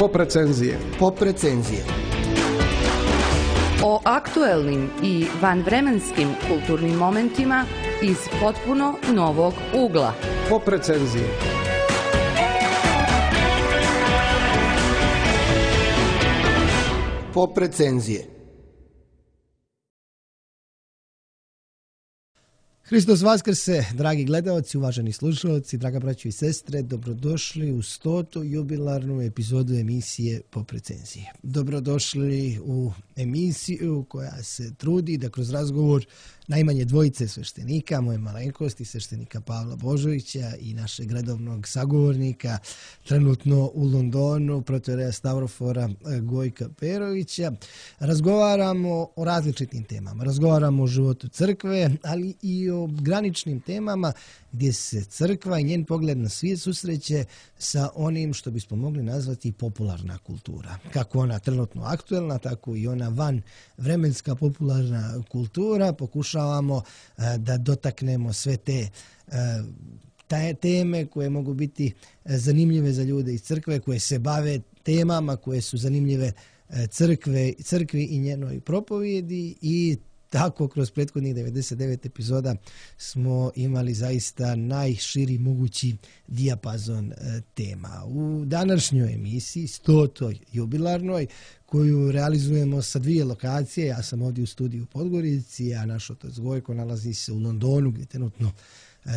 Pop recenzije. Pop recenzije. O aktuelnim i vanvremenskim kulturnim momentima iz potpuno novog ugla. Pop recenzije. Pop recenzije. Hristos Vaskrse, dragi gledaoci, uvaženi slušalci, draga braćo i sestre, dobrodošli u 100. jubilarnu epizodu emisije Pop recenzije. Dobrodošli u emisiju koja se trudi da kroz razgovor najmanje dvojice sveštenika, moje malenkosti, sveštenika Pavla Božovića i našeg redovnog sagovornika, trenutno u Londonu, protoijereja Stavrofora Gojka Perovića, razgovaramo o različitim temama. Razgovaramo o životu crkve, ali i o graničnim temama gdje se crkva i njen pogled na svijet susreće sa onim što bismo mogli nazvati popularna kultura. Kako ona trenutno aktuelna, tako i ona van vremenska popularna kultura. Pokušavamo da dotaknemo sve te teme koje mogu biti zanimljive za ljude iz crkve, koje se bave temama koje su zanimljive crkvi i njenoj propovjedi, i tako kroz prethodnih 99 epizoda smo imali zaista najširi mogući dijapazon tema. U današnjoj emisiji, 100. jubilarnoj, koju realizujemo sa 2 lokacije, ja sam ovdje u studiju u Podgorici, a naš otac Gojko nalazi se u Londonu gdje trenutno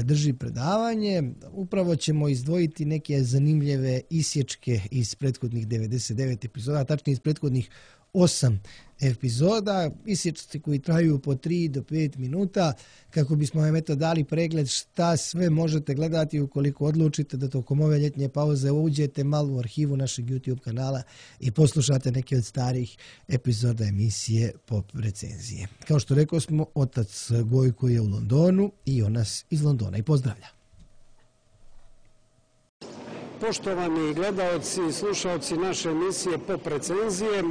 drži predavanje. Upravo ćemo izdvojiti neke zanimljive isječke iz prethodnih 99 epizoda, tačnije iz prethodnih 8 epizoda, isječci koji traju po 3 do 5 minuta, kako bismo vam dali pregled šta sve možete gledati ukoliko odlučite da tokom ove ljetnje pauze uđete malo u arhivu našeg YouTube kanala i poslušate neke od starih epizoda emisije Pop recenzije. Kao što rekao smo, otac Gojko je u Londonu i on nas iz Londona i pozdravlja. Poštovani gledaoci i slušaoci naše emisije Pop recenzije,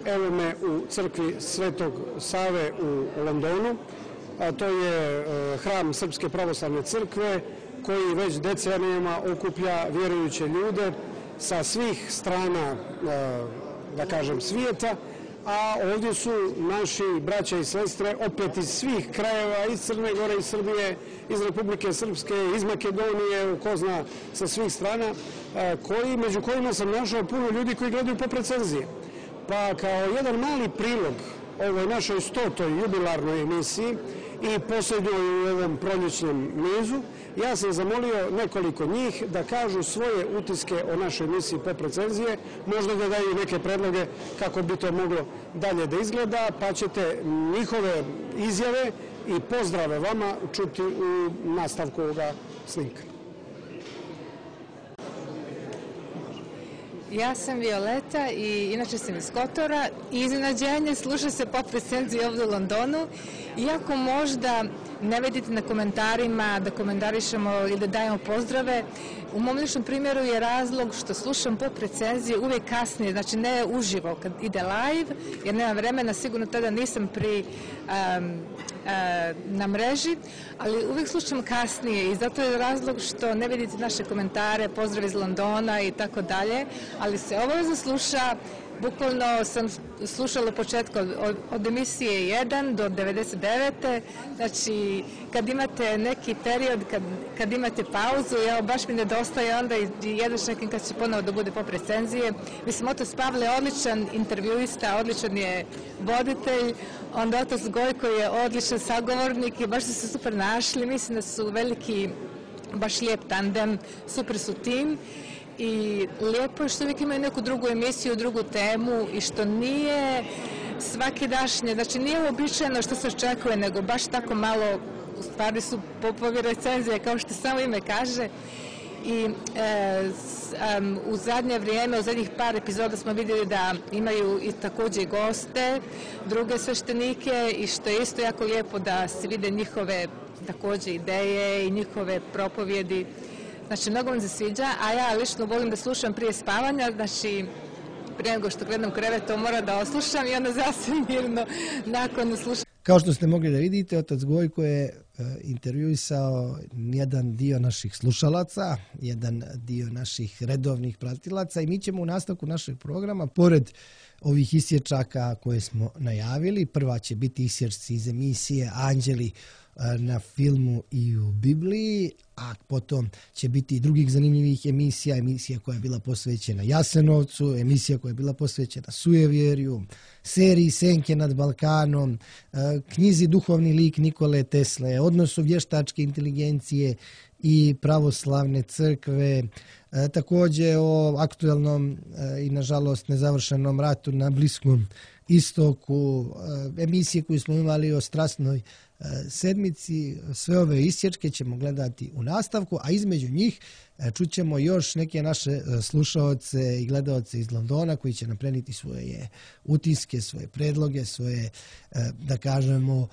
evo me u crkvi Svetog Save u Londonu, a to je hram Srpske pravoslavne crkve koji već decenijama okuplja vjerujuće ljude sa svih strana, da kažem, svijeta, a ovdje su naši braća i sestre opet iz svih krajeva, iz Crne Gore, iz Srbije, iz Republike Srpske, iz Makedonije, ko zna, sa svih strana, među kojima sam našao puno ljudi koji gledaju Pop recenzije. Pa kao jedan mali prilog ovoj našoj 100. jubilarnoj emisiji i posljednjoj u ovom proljećnom nizu, ja sam zamolio nekoliko njih da kažu svoje utiske o našoj emisiji Pop recenzije, možda da daju neke predloge kako bi to moglo dalje da izgleda, pa ćete njihove izjave i pozdrave vama čuti u nastavku ovoga snimka. Ja sam Violeta i inače sam iz Kotora i iznenađenje sluša se Pop recenzije ovdje u Londonu. Iako možda ne vidite na komentarima da komentarišemo ili da dajemo pozdrave, u mom ličnom primjeru je razlog što slušam Pop recenzije uvijek kasnije, znači ne uživo kad ide live, jer nema vremena, sigurno tada nisam na mreži, ali uvijek slušam kasnije i zato je razlog što ne vidite naše komentare, pozdrav iz Londona i tako dalje, ali se obavezno sluša. Bukvalno sam slušala početka od emisije 1 do 99. Znači, kad imate neki period, kad imate pauzu, evo, baš mi nedostaje onda i jedno čekam kad će ponovo da bude Pop recenzije. Mislim, otac Pavle je odličan intervjuista, odličan je voditelj, onda otac Gojko je odličan sagovornik i baš su se super našli. Mislim da su veliki, baš lijep tandem, super su tim. I lijepo je što uvijek imaju neku drugu emisiju, drugu temu i što nije svakidašnje, znači nije uobičajeno što se očekuje, nego baš tako malo, u stvari su popovi recenzije, kao što samo ime kaže. I u zadnje vrijeme, u zadnjih par epizoda smo vidjeli da imaju i također goste, druge sveštenike, i što je isto jako lijepo da se vide njihove također ideje i njihove propovjedi. Znači, mnogo mi se sviđa, a ja lično volim da slušam prije spavanja, znači prije nego što gledam krevet, to mora da oslušam i onda zasvim mirno nakon slušam. Kao što ste mogli da vidite, otac Gojko je intervjuisao jedan dio naših slušalaca, jedan dio naših redovnih pratilaca i mi ćemo u nastavku našeg programa, pored ovih isječaka koje smo najavili, prva će biti isječci iz emisije Anđeli na filmu i u Bibliji, a potom će biti i drugih zanimljivih emisija koja je bila posvećena Jasenovcu, emisija koja je bila posvećena sujevjerju, seriji Senke nad Balkanom, knjizi Duhovni lik Nikole Tesle, odnosu vještačke inteligencije i pravoslavne crkve, također o aktuelnom i nažalost nezavršenom ratu na Bliskom istoku, emisije koju smo imali o strasnoj sedmici. Sve ove isječke ćemo gledati u nastavku, a između njih čućemo još neke naše slušaoce i gledaoce iz Londona koji će nam prenijeti svoje utiske, svoje predloge, svoje, da kažemo,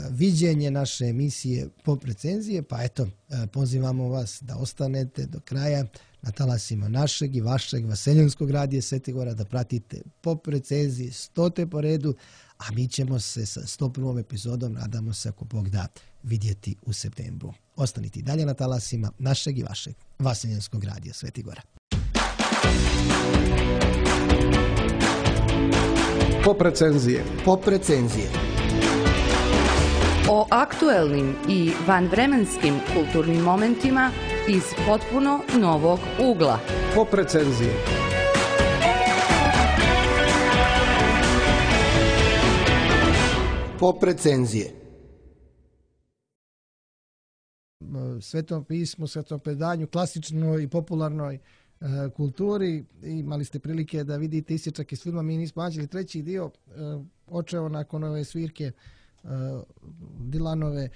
viđenje naše emisije Pop recenzije. Pa eto, pozivamo vas da ostanete do kraja na talasima našeg i vašeg Vaseljenskog radija Svetigora, da pratite Pop recenzije 100. po redu, a mi ćemo se sa 101. epizodom, nadamo se, ako Bog da, vidjeti u septembru. Ostanite i dalje na talasima našeg i vašeg Vaseljenskog radija Svetigora. Pop recenzije. Pop recenzije. O aktuelnim i vanvremenskim kulturnim momentima iz potpuno novog ugla. Pop recenzije. Pop recenzije. Svetom pismu, svetom predanju, klasičnoj i popularnoj kulturi. Imali ste prilike da vidite isječak iz filma Mi nismo anđeli, treći dio, očeo nakon ove svirke Dylanove.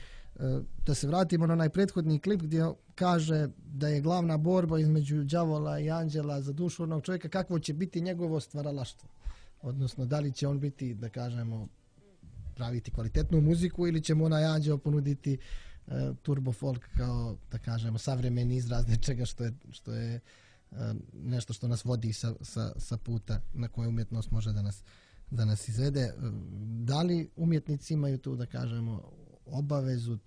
Da se vratimo na onaj prethodni klip gdje kaže da je glavna borba između đavola i anđela za dušu onog čovjeka, kakvo će biti njegovo stvaralaštvo. Odnosno, da li će on biti, da kažemo, praviti kvalitetnu muziku ili će mu onaj anđeo ponuditi turbo folk kao, da kažemo, savremeni izraz nečega što je nešto što nas vodi sa puta na koje umjetnost može da nas izvede. Da li umjetnici imaju tu, da kažemo, obavezu,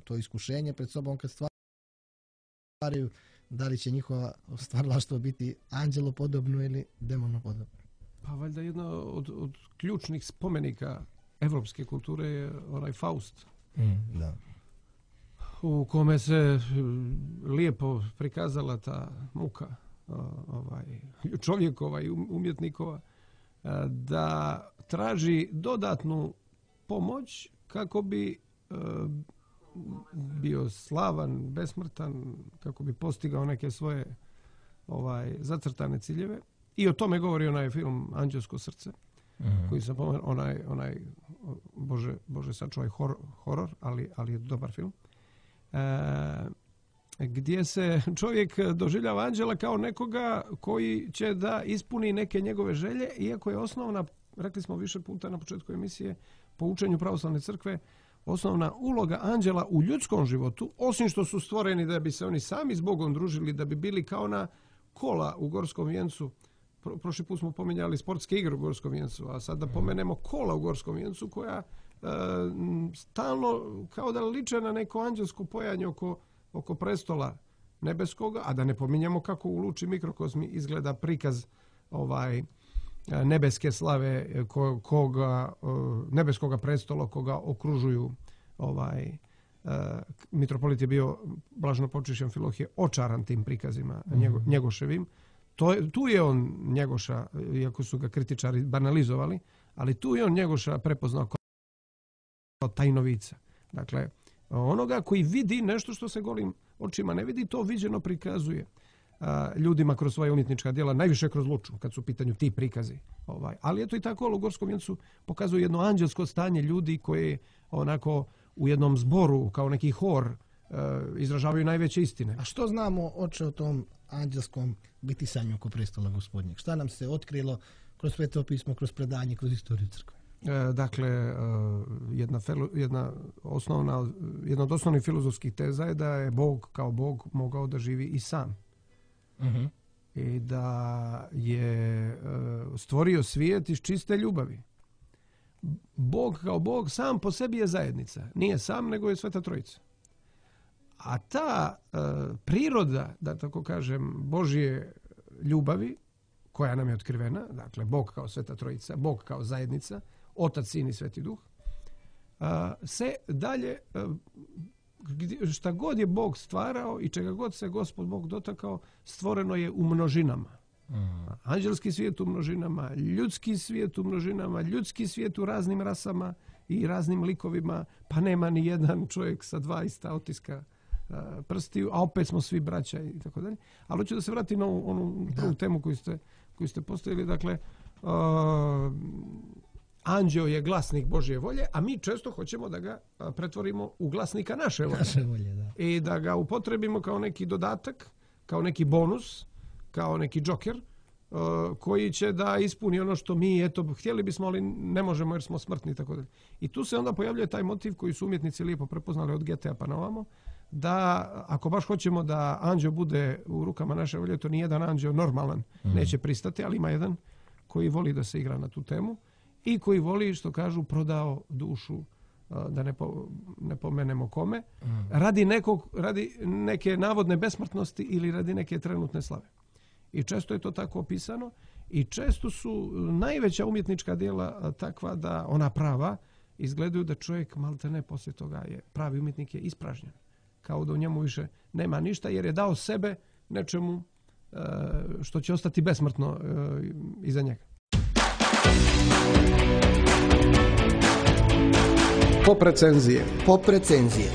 to iskušenje pred sobom kad stvaraju, da li će njihova stvaralaštvo biti anđelopodobno ili demonopodobno? Pa valjda jedna od ključnih spomenika evropske kulture je onaj Faust. Da. U kome se lijepo prikazala ta muka čovjekova i umjetnikova, da traži dodatnu pomoć kako bi bio slavan, besmrtan, kako bi postigao neke svoje zacrtane ciljeve. I o tome govori onaj film Anđelsko srce, koji sam pomenuo, onaj Bože sačuvaj horor, ali je dobar film. Gdje se čovjek doživljava anđela kao nekoga koji će da ispuni neke njegove želje, iako je osnovna, rekli smo više puta na početku emisije, po učenju pravoslavne crkve, osnovna uloga anđela u ljudskom životu, osim što su stvoreni da bi se oni sami s Bogom družili, da bi bili kao na kola u Gorskom vijencu. Prošli put smo pominjali sportske igre u Gorskom vijencu, a sad da pomenemo kola u Gorskom vijencu koja stalno kao da liče na neko anđelsko pojanje oko prestola nebeskoga, a da ne pominjemo kako u Luči mikrokozmi izgleda prikaz nebeske slave nebeskoga prestola koga okružuju mitropolit je bio blaženo počešćen Filohije očaran tim prikazima Njegoševim. Tu je on Njegoša, iako su ga kritičari banalizovali, ali tu je on Njegoša prepoznao kao tajnovica. Dakle, onoga koji vidi nešto što se golim očima ne vidi, to viđeno prikazuje ljudima kroz svoje umjetnička djela, najviše kroz Luču, kad su u pitanju ti prikazi. Ali eto i tako u Gorskom vijencu pokazuje jedno anđelsko stanje ljudi koje onako u jednom zboru, kao neki hor, izražavaju najveće istine. A što znamo, oče, o tom anđelskom bitisanju oko prestola Gospodnjeg? Šta nam se otkrilo kroz Sveto pismo, kroz predanje, kroz istoriju crkve? Dakle, jedna od osnovnih filozofskih teza je da je Bog kao Bog mogao da živi i sam. I da je stvorio svijet iz čiste ljubavi. Bog kao Bog sam po sebi je zajednica. Nije sam, nego je Sveta Trojica. A ta priroda, da tako kažem, Božje ljubavi, koja nam je otkrivena, dakle Bog kao Sveta Trojica, Bog kao zajednica, Otac, Sin i Sveti Duh, se dalje, šta god je Bog stvarao i čega god se Gospod Bog dotakao, stvoreno je u množinama. Anđelski svijet u množinama, ljudski svijet u množinama, ljudski svijet u raznim rasama i raznim likovima, pa nema ni jedan čovjek sa 2 ista otiska prstiju, a opet smo svi braća i tako dalje. Ali hoću da se vratim na onu prvu temu koju ste postavili. Dakle, anđeo je glasnik Božje volje, a mi često hoćemo da ga pretvorimo u glasnika naše volje. Da. I da ga upotrebimo kao neki dodatak, kao neki bonus, kao neki džoker, koji će da ispuni ono što mi, htjeli bismo, ali ne možemo jer smo smrtni i tako dalje. I tu se onda pojavljuje taj motiv koji su umjetnici lijepo prepoznali od Goethea pa na ovamo, da ako baš hoćemo da anđeo bude u rukama naše volje, to nijedan anđeo normalan neće pristati, ali ima jedan koji voli da se igra na tu temu i koji voli, što kažu, prodao dušu, da ne pomenemo kome, radi neke navodne besmrtnosti ili radi neke trenutne slave. I često je to tako opisano i često su najveća umjetnička djela takva da ona prava izgledaju da čovjek maltene poslije toga je pravi umjetnik je ispražnjen. Kao da u njemu više nema ništa jer je dao sebe nečemu što će ostati besmrtno iza njega. Pop recenzije.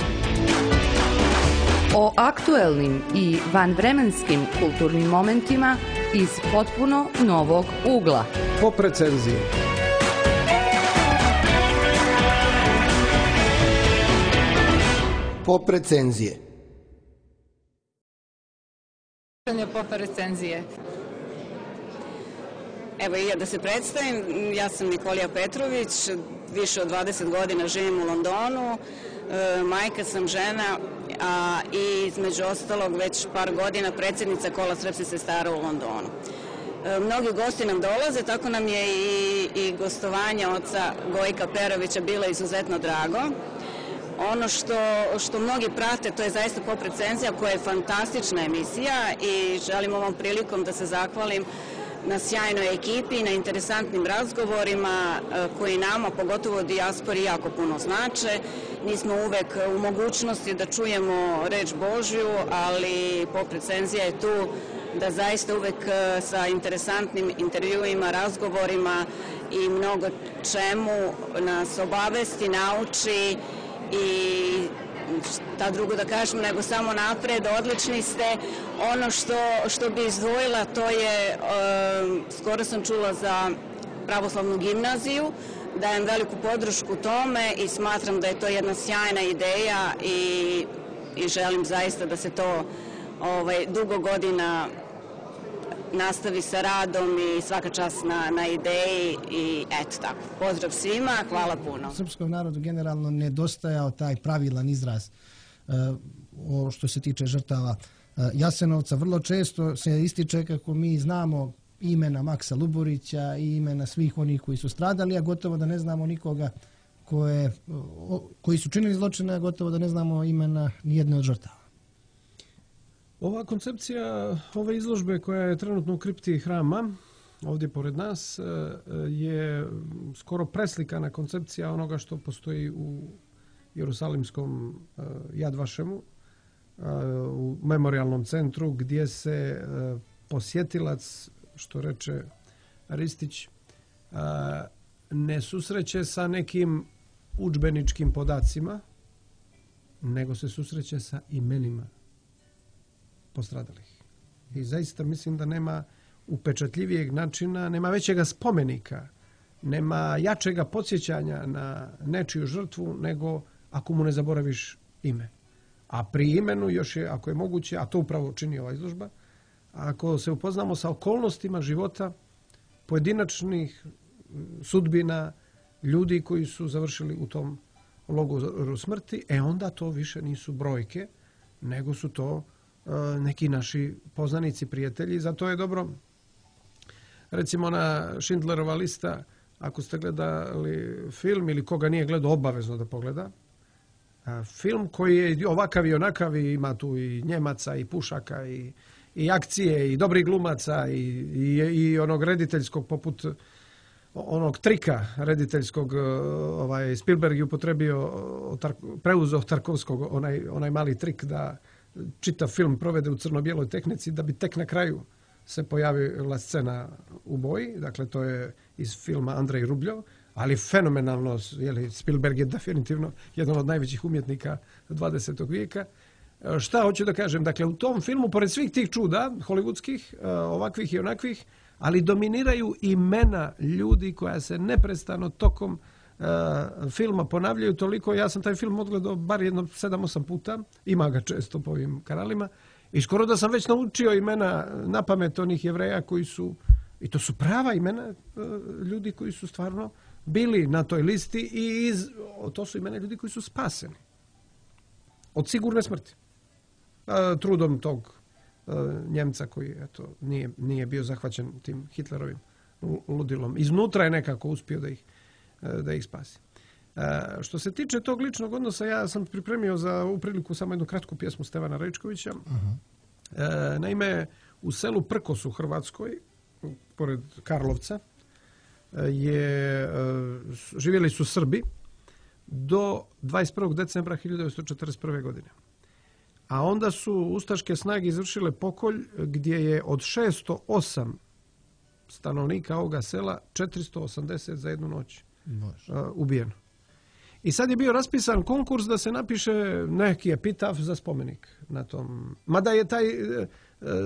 O aktuelnim i vanvremenskim kulturnim momentima iz potpuno novog ugla. Pop recenzije. Pop recenzije. Pop recenzije. Evo i ja da se predstavim, ja sam Nikolija Petrović, više od 20 godina živim u Londonu, majka sam, žena, i između ostalog već par godina predsjednica Kola srpskih sestara u Londonu. Mnogi gosti nam dolaze, tako nam je i gostovanje oca Gojka Perovića bilo izuzetno drago. Ono što mnogi prate, to je zaista Pop recenzija koja je fantastična emisija i želim ovom prilikom da se zahvalim na sjajnoj ekipi, na interesantnim razgovorima koji nama, pogotovo u dijaspori, jako puno znače. Nismo uvek u mogućnosti da čujemo reč Božju, ali Pop recenzija je tu da zaista uvek sa interesantnim intervjuima, razgovorima i mnogo čemu nas obavesti, nauči i šta drugo da kažem nego samo napred, odlični ste. Ono što bi izdvojila to je, skoro sam čula za pravoslavnu gimnaziju, dajem veliku podršku tome i smatram da je to jedna sjajna ideja i želim zaista da se to dugo godina nastavi sa radom i svaka čast na ideji i eto tako. Pozdrav svima, hvala puno. Srpskom narodu generalno nedostajao taj pravilan izraz što se tiče žrtava Jasenovca. Vrlo često se ističe kako mi znamo imena Maksa Luburića i imena svih onih koji su stradali, a gotovo da ne znamo nikoga koji su činili zločine, a gotovo da ne znamo imena nijedne od žrtava. Ova koncepcija ove izložbe koja je trenutno u kripti hrama, ovdje pored nas, je skoro preslikana koncepcija onoga što postoji u Jerusalimskom Yad Vašemu, u memorialnom centru gdje se posjetilac, što reče Ristić, ne susreće sa nekim udžbeničkim podacima, nego se susreće sa imenima postradalih. I zaista mislim da nema upečatljivijeg načina, nema većega spomenika, nema jačega podsjećanja na nečiju žrtvu nego ako mu ne zaboraviš ime. A pri imenu još je, ako je moguće, a to upravo čini ova izložba, ako se upoznamo sa okolnostima života pojedinačnih sudbina ljudi koji su završili u tom logoru smrti, onda to više nisu brojke, nego su to neki naši poznanici, prijatelji. Zato je dobro, recimo na Schindlerova lista ako ste gledali film ili koga nije gledao, obavezno da pogleda. Film koji je ovakav i onakav, i ima tu i Njemaca i pušaka i akcije i dobrih glumaca i onog rediteljskog poput onog trika rediteljskog, Spielberg je upotrebio, preuzeo Tarkovskog onaj mali trik da čitav film provede u crno-bijeloj tehnici da bi tek na kraju se pojavila scena u boji. Dakle, to je iz filma Andrej Rubljov, ali fenomenalno, Spielberg je definitivno jedan od najvećih umjetnika 20. vijeka. Šta hoću da kažem? Dakle, u tom filmu, pored svih tih čuda hollywoodskih, ovakvih i onakvih, ali dominiraju imena ljudi koja se neprestano tokom filma ponavljaju toliko. Ja sam taj film odgledao bar jedno 7-8 puta, ima ga često po ovim kanalima, i skoro da sam već naučio imena na pamet onih Jevreja koji su, i to su prava imena ljudi koji su stvarno bili na toj listi, i to su imena ljudi koji su spaseni od sigurne smrti. Trudom tog Njemca koji nije bio zahvaćen tim Hitlerovim ludilom. Iznutra je nekako uspio da ih spasi. Što se tiče tog ličnog odnosa, ja sam pripremio za ovu priliku samo jednu kratku pjesmu Stevana Rajčkovića. Naime, u selu Prkos u Hrvatskoj, pored Karlovca, živjeli su Srbi do 21. decembra 1941. godine. A onda su ustaške snage izvršile pokolj gdje je od 608 stanovnika ovoga sela 480 za jednu noć ubijeno. I sad je bio raspisan konkurs da se napiše neki epitaf za spomenik na tom. Mada je taj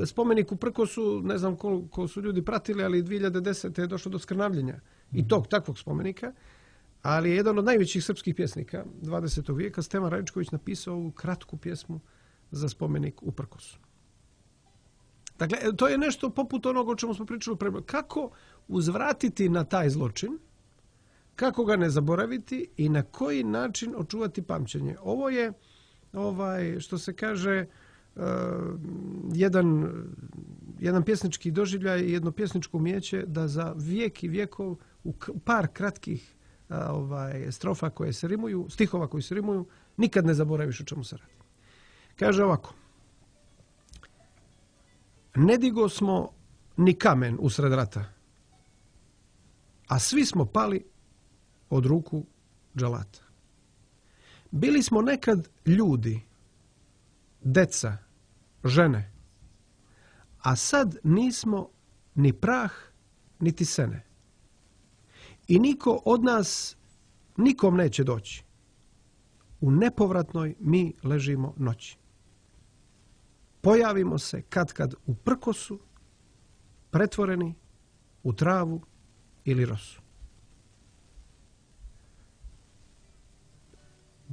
spomenik u Prkosu, ne znam koliko su ljudi pratili, ali 2010. je došlo do skrnavljenja i tog takvog spomenika. Ali je jedan od najvećih srpskih pjesnika 20. vijeka, Stevan Rajčković, napisao ovu kratku pjesmu za spomenik u Prkosu. Dakle, to je nešto poput onoga o čemu smo pričali pre. Kako uzvratiti na taj zločin, kako ga ne zaboraviti i na koji način očuvati pamćenje. Ovo je, što se kaže, jedan pjesnički doživljaj i jedno pjesničko umijeće da za vijek i vjekov u par kratkih strofa koje se rimuju, stihova koji se rimuju, nikad ne zaboraviš o čemu se radi. Kaže ovako: ne digo smo ni kamen usred rata, a svi smo pali od ruku dželata. Bili smo nekad ljudi, deca, žene, a sad nismo ni prah, niti sene. I niko od nas nikom neće doći. U nepovratnoj mi ležimo noći. Pojavimo se kad u Prkosu, pretvoreni u travu ili rosu.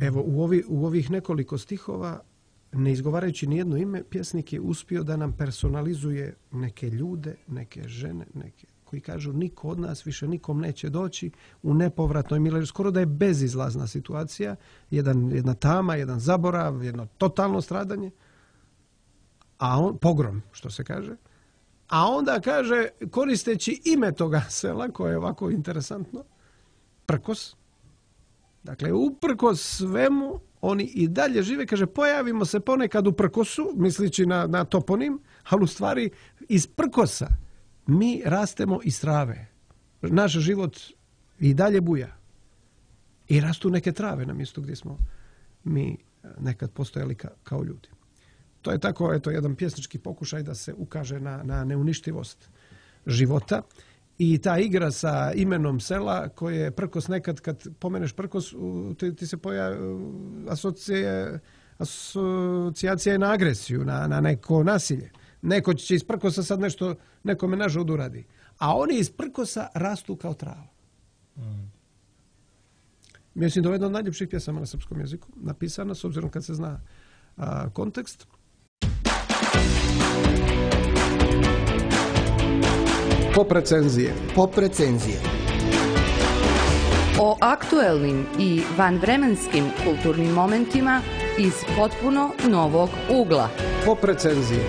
Evo, u ovih nekoliko stihova, ne izgovarajući nijedno ime, pjesnik je uspio da nam personalizuje neke ljude, neke žene, koji kažu niko od nas više nikom neće doći, u nepovratnoj mileži. Skoro da je bezizlazna situacija, jedna tama, jedan zaborav, jedno totalno stradanje, pogrom, što se kaže. A onda kaže, koristeći ime toga sela, koje je ovako interesantno, Prkos. Dakle, uprkos svemu, oni i dalje žive. Kaže, pojavimo se ponekad u Prkosu, mislići na toponim, ali u stvari iz Prkosa mi rastemo iz trave. Naš život i dalje buja. I rastu neke trave na mjestu gdje smo mi nekad postojali kao ljudi. To je tako, jedan pjesnički pokušaj da se ukaže na neuništivost života. I ta igra sa imenom sela koje je Prkos, nekad kad pomeneš Prkos, ti se pojavi asocijacija je na agresiju, na neko nasilje. Neko će iz Prkosa sad nešto nekome na žudu radi. A oni iz Prkosa rastu kao trava. Mislim da je jedna od najljepših pjesama na srpskom jeziku napisana, s obzirom kad se zna kontekst. Pop recenzije. O aktuelnim i vanvremenskim kulturnim momentima iz potpuno novog ugla. Pop recenzije.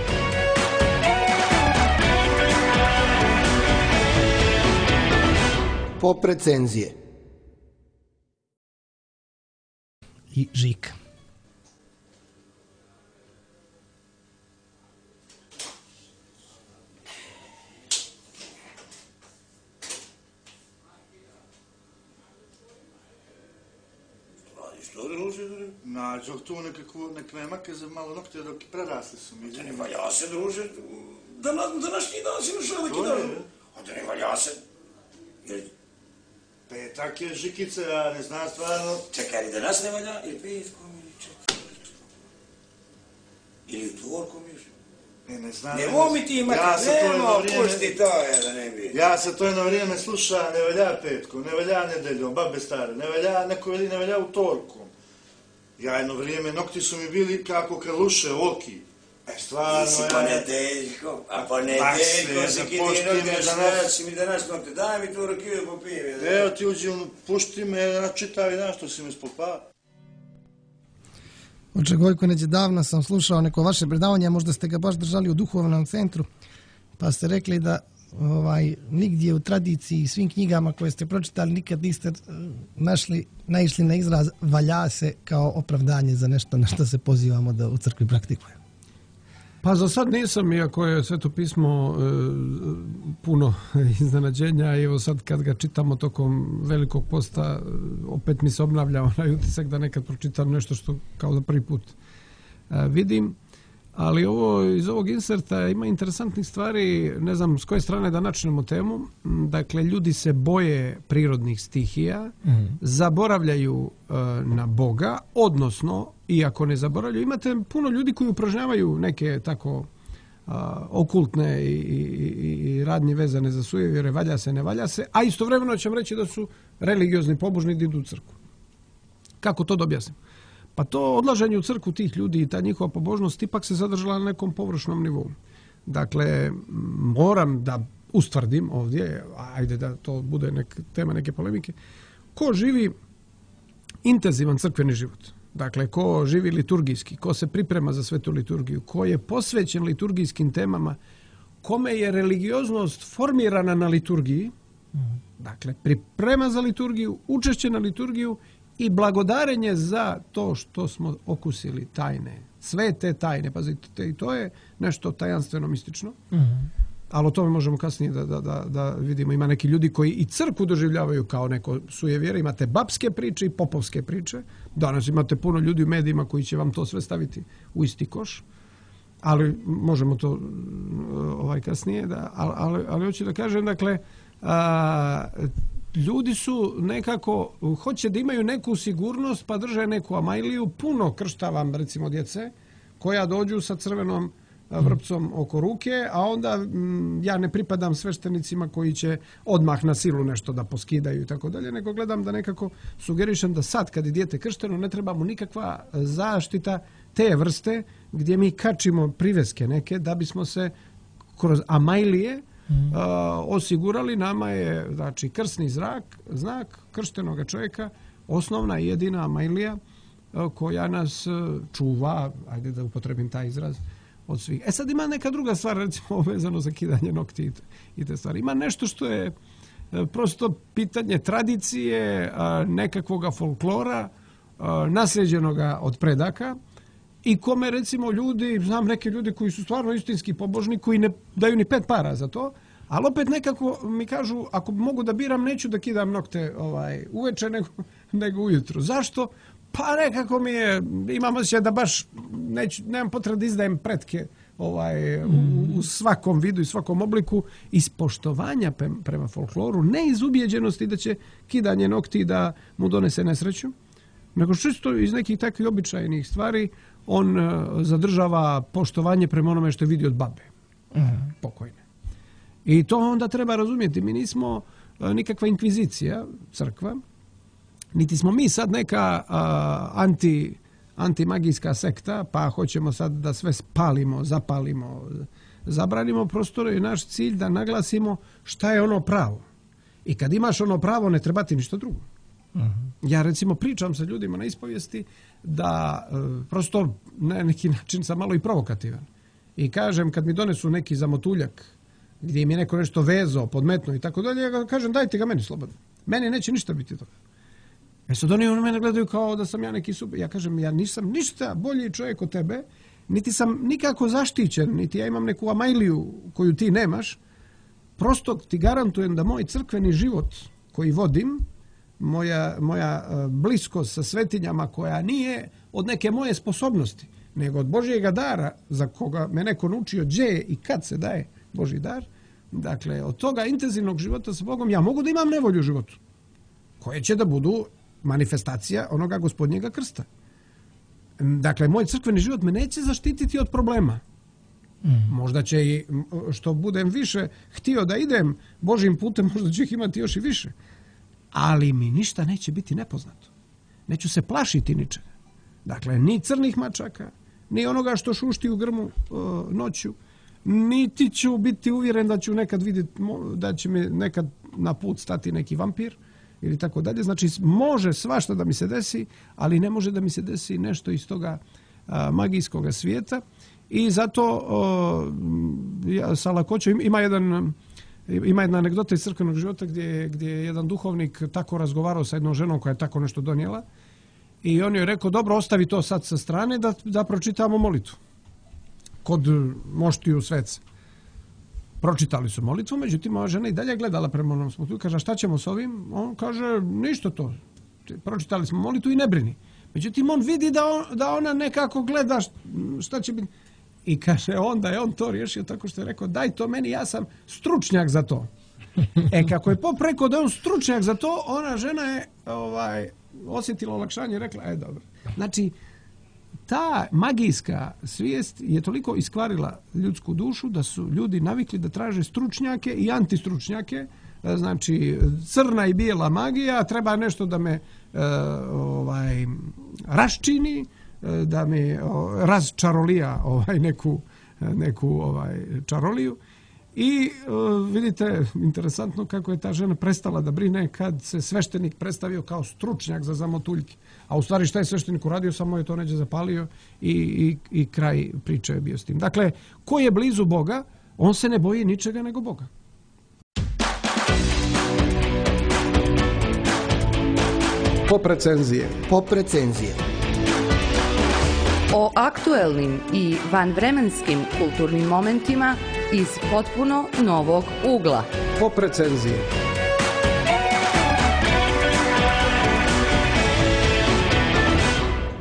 Pop recenzije. I Žika. Nađo tu nek memake za malo nokte dok prerasli su mi. Ne valja se, druže. Današnji dan si našao neki dan. Onda ne valja se. Petak je Žikice, ja ne znam stvarno. Čekaj, ali danas ne valja? Ili petkom, ili četvrtkom? Ili utvorkom još? Ne znam. Ne vomi ti imati, nema, pusti to, da ne bi. Ja se to jedno vrijeme sluša, ne valja petkom, ne valja nedeljom, babe stare, ne valja, neko veli, ne valja utorkom. Ja jedno vrijeme, nokti su mi bili kako krluše, oki. Stvarno, nisi ponedeljko, a ponedeljko si kiti nokte, si mi danas nokte, daj mi tu rakiju popijem. Evo ti uđi, pušti me, čitavi dan što si mi spopao. Oče Gojko, davno sam slušao neko vaše predavanje, možda ste ga baš držali u duhovnom centru, pa ste rekli da nigdje u tradiciji i svim knjigama koje ste pročitali nikad niste naišli na izraz valja se kao opravdanje za nešto na što se pozivamo da u crkvi praktikujemo. Pa za sad nisam, iako je Sveto pismo puno iznenađenja. Evo sad kad ga čitamo tokom Velikog posta, opet mi se obnavlja onaj utisak da nekad pročitam nešto što kao da prvi put vidim. Ali iz ovog inserta ima interesantnih stvari, ne znam s koje strane da načnemo temu. Dakle, ljudi se boje prirodnih stihija, zaboravljaju na Boga, odnosno, iako ne zaboravljaju, imate puno ljudi koji upražnjavaju neke tako okultne i radnje vezane za sujevjere, valja se, ne valja se, a istovremeno ćemo reći da su religiozni, pobožni, da idu u crkvu. Kako to da objasnim? Pa to odlaženje u crkvu tih ljudi i ta njihova pobožnost ipak se zadržala na nekom površnom nivou. Dakle, moram da ustvrdim ovdje, ajde da to bude tema neke polemike, ko živi intenzivan crkveni život, dakle, ko živi liturgijski, ko se priprema za svetu liturgiju, ko je posvećen liturgijskim temama, kome je religioznost formirana na liturgiji, dakle, priprema za liturgiju, učešće na liturgiju i blagodarenje za to što smo okusili tajne, sve te tajne, pazite, i to je nešto tajanstveno mistično, ali o tome možemo kasnije da vidimo. Ima neki ljudi koji i crkvu doživljavaju kao neko sujevjere, imate babske priče i popovske priče, danas imate puno ljudi u medijima koji će vam to sve staviti u isti koš, ali možemo to kasnije, ali hoću da kažem, dakle, ljudi su nekako, hoće da imaju neku sigurnost, pa drže neku amajliju. Puno krštavam, recimo, djece koja dođu sa crvenom vrpcom oko ruke, a onda ja ne pripadam sveštenicima koji će odmah na silu nešto da poskidaju i tako dalje, nego gledam da nekako sugerišem da sad kad je dijete kršteno ne treba mu nikakva zaštita te vrste gdje mi kačimo priveske neke da bismo se kroz amajlije osigurali. Nama je, znači, krsni znak krštenoga čovjeka osnovna i jedina amajlija koja nas čuva, ajde da upotrebim taj izraz, od svih. Sad ima neka druga stvar, recimo vezano za kidanje nokti i te stvari. Ima nešto što je prosto pitanje tradicije, nekakvoga folklora, nasljeđenoga od predaka, i kome, recimo, ljudi, znam neke ljudi koji su stvarno istinski pobožni, koji ne daju ni 5 para za to, ali opet nekako mi kažu, ako mogu da biram, neću da kidam nokte uveče nego ujutru. Zašto? Pa nekako mi je, imam osjećaj da baš nemam potrebe da izdajem pretke u svakom vidu i svakom obliku, iz poštovanja prema folkloru, ne iz ubijeđenosti da će kidanje nokti da mu donese nesreću, nego čisto iz nekih takvih običajnih stvari on zadržava poštovanje prema onome što je vidio od babe pokojne. I to onda treba razumjeti. Mi nismo nikakva inkvizicija, crkva, niti smo mi sad neka antimagijska sekta, pa hoćemo sad da sve spalimo, zapalimo, zabranimo. Prosto je naš cilj da naglasimo šta je ono pravo. I kad imaš ono pravo, ne treba ti ništa drugo. Ja, recimo, pričam sa ljudima na ispovijesti da prosto na neki način sam malo i provokativan. I kažem, kad mi donesu neki zamotuljak gdje im je neko nešto vezao, podmetno i tako dalje, ja kažem, dajte ga meni slobodno. Meni neće ništa biti toga. Sad oni na mene gledaju kao da sam ja neki super. Ja kažem, ja nisam ništa bolji čovjek od tebe, niti sam nikako zaštićen, niti ja imam neku amajliju koju ti nemaš. Prosto ti garantujem da moj crkveni život koji vodim, moja bliskost sa svetinjama koja nije od neke moje sposobnosti, nego od Božjega dara za koga me neko naučio gdje i kad se daje Božji dar. Dakle, od toga intenzivnog života sa Bogom ja mogu da imam nevolju u životu, koje će da budu manifestacija onoga Gospodnjega krsta. Dakle, moj crkveni život me neće zaštititi od problema. Možda će i što budem više htio da idem Božjim putem, možda ću ih imati još i više. Ali mi ništa neće biti nepoznato. Neću se plašiti ničega. Dakle, ni crnih mačaka, ni onoga što šušti u grmu noću, niti ću biti uvjeren da ću nekad vidjeti, da će mi nekad na put stati neki vampir ili tako dalje. Znači, može svašta da mi se desi, ali ne može da mi se desi nešto iz toga magijskog svijeta. I zato sa lakoćom ima jedna anegdota iz crkvenog života gdje je jedan duhovnik tako razgovarao sa jednom ženom koja je tako nešto donijela i on joj je rekao, dobro, ostavi to sad sa strane da pročitamo molitvu kod moštiju sveca. Pročitali su molitvu, međutim ova žena i dalje gledala prema onom smotu i kaže, šta ćemo s ovim? On kaže, ništa to. Pročitali smo molitvu i ne brini. Međutim, on vidi da ona nekako gleda šta će biti. I kaže, onda je on to riješio tako što je rekao, daj to meni, ja sam stručnjak za to. Kako je pop rekao da je on stručnjak za to, ona žena je osjetila olakšanje i rekla, dobro. Znači, ta magijska svijest je toliko iskvarila ljudsku dušu da su ljudi navikli da traže stručnjake i antistručnjake. Znači, crna i bijela magija, treba nešto da me raščini, da mi razčarolija neku čaroliju. I vidite, interesantno kako je ta žena prestala da brine kad se sveštenik predstavio kao stručnjak za zamotuljke. A u stvari šta je sveštenik uradio, samo je to neđe zapalio i kraj priče je bio s tim. Dakle, ko je blizu Boga, on se ne boji ničega nego Boga. Pop recenzije. O aktuelnim i vanvremenskim kulturnim momentima iz potpuno novog ugla. Pop recenzije.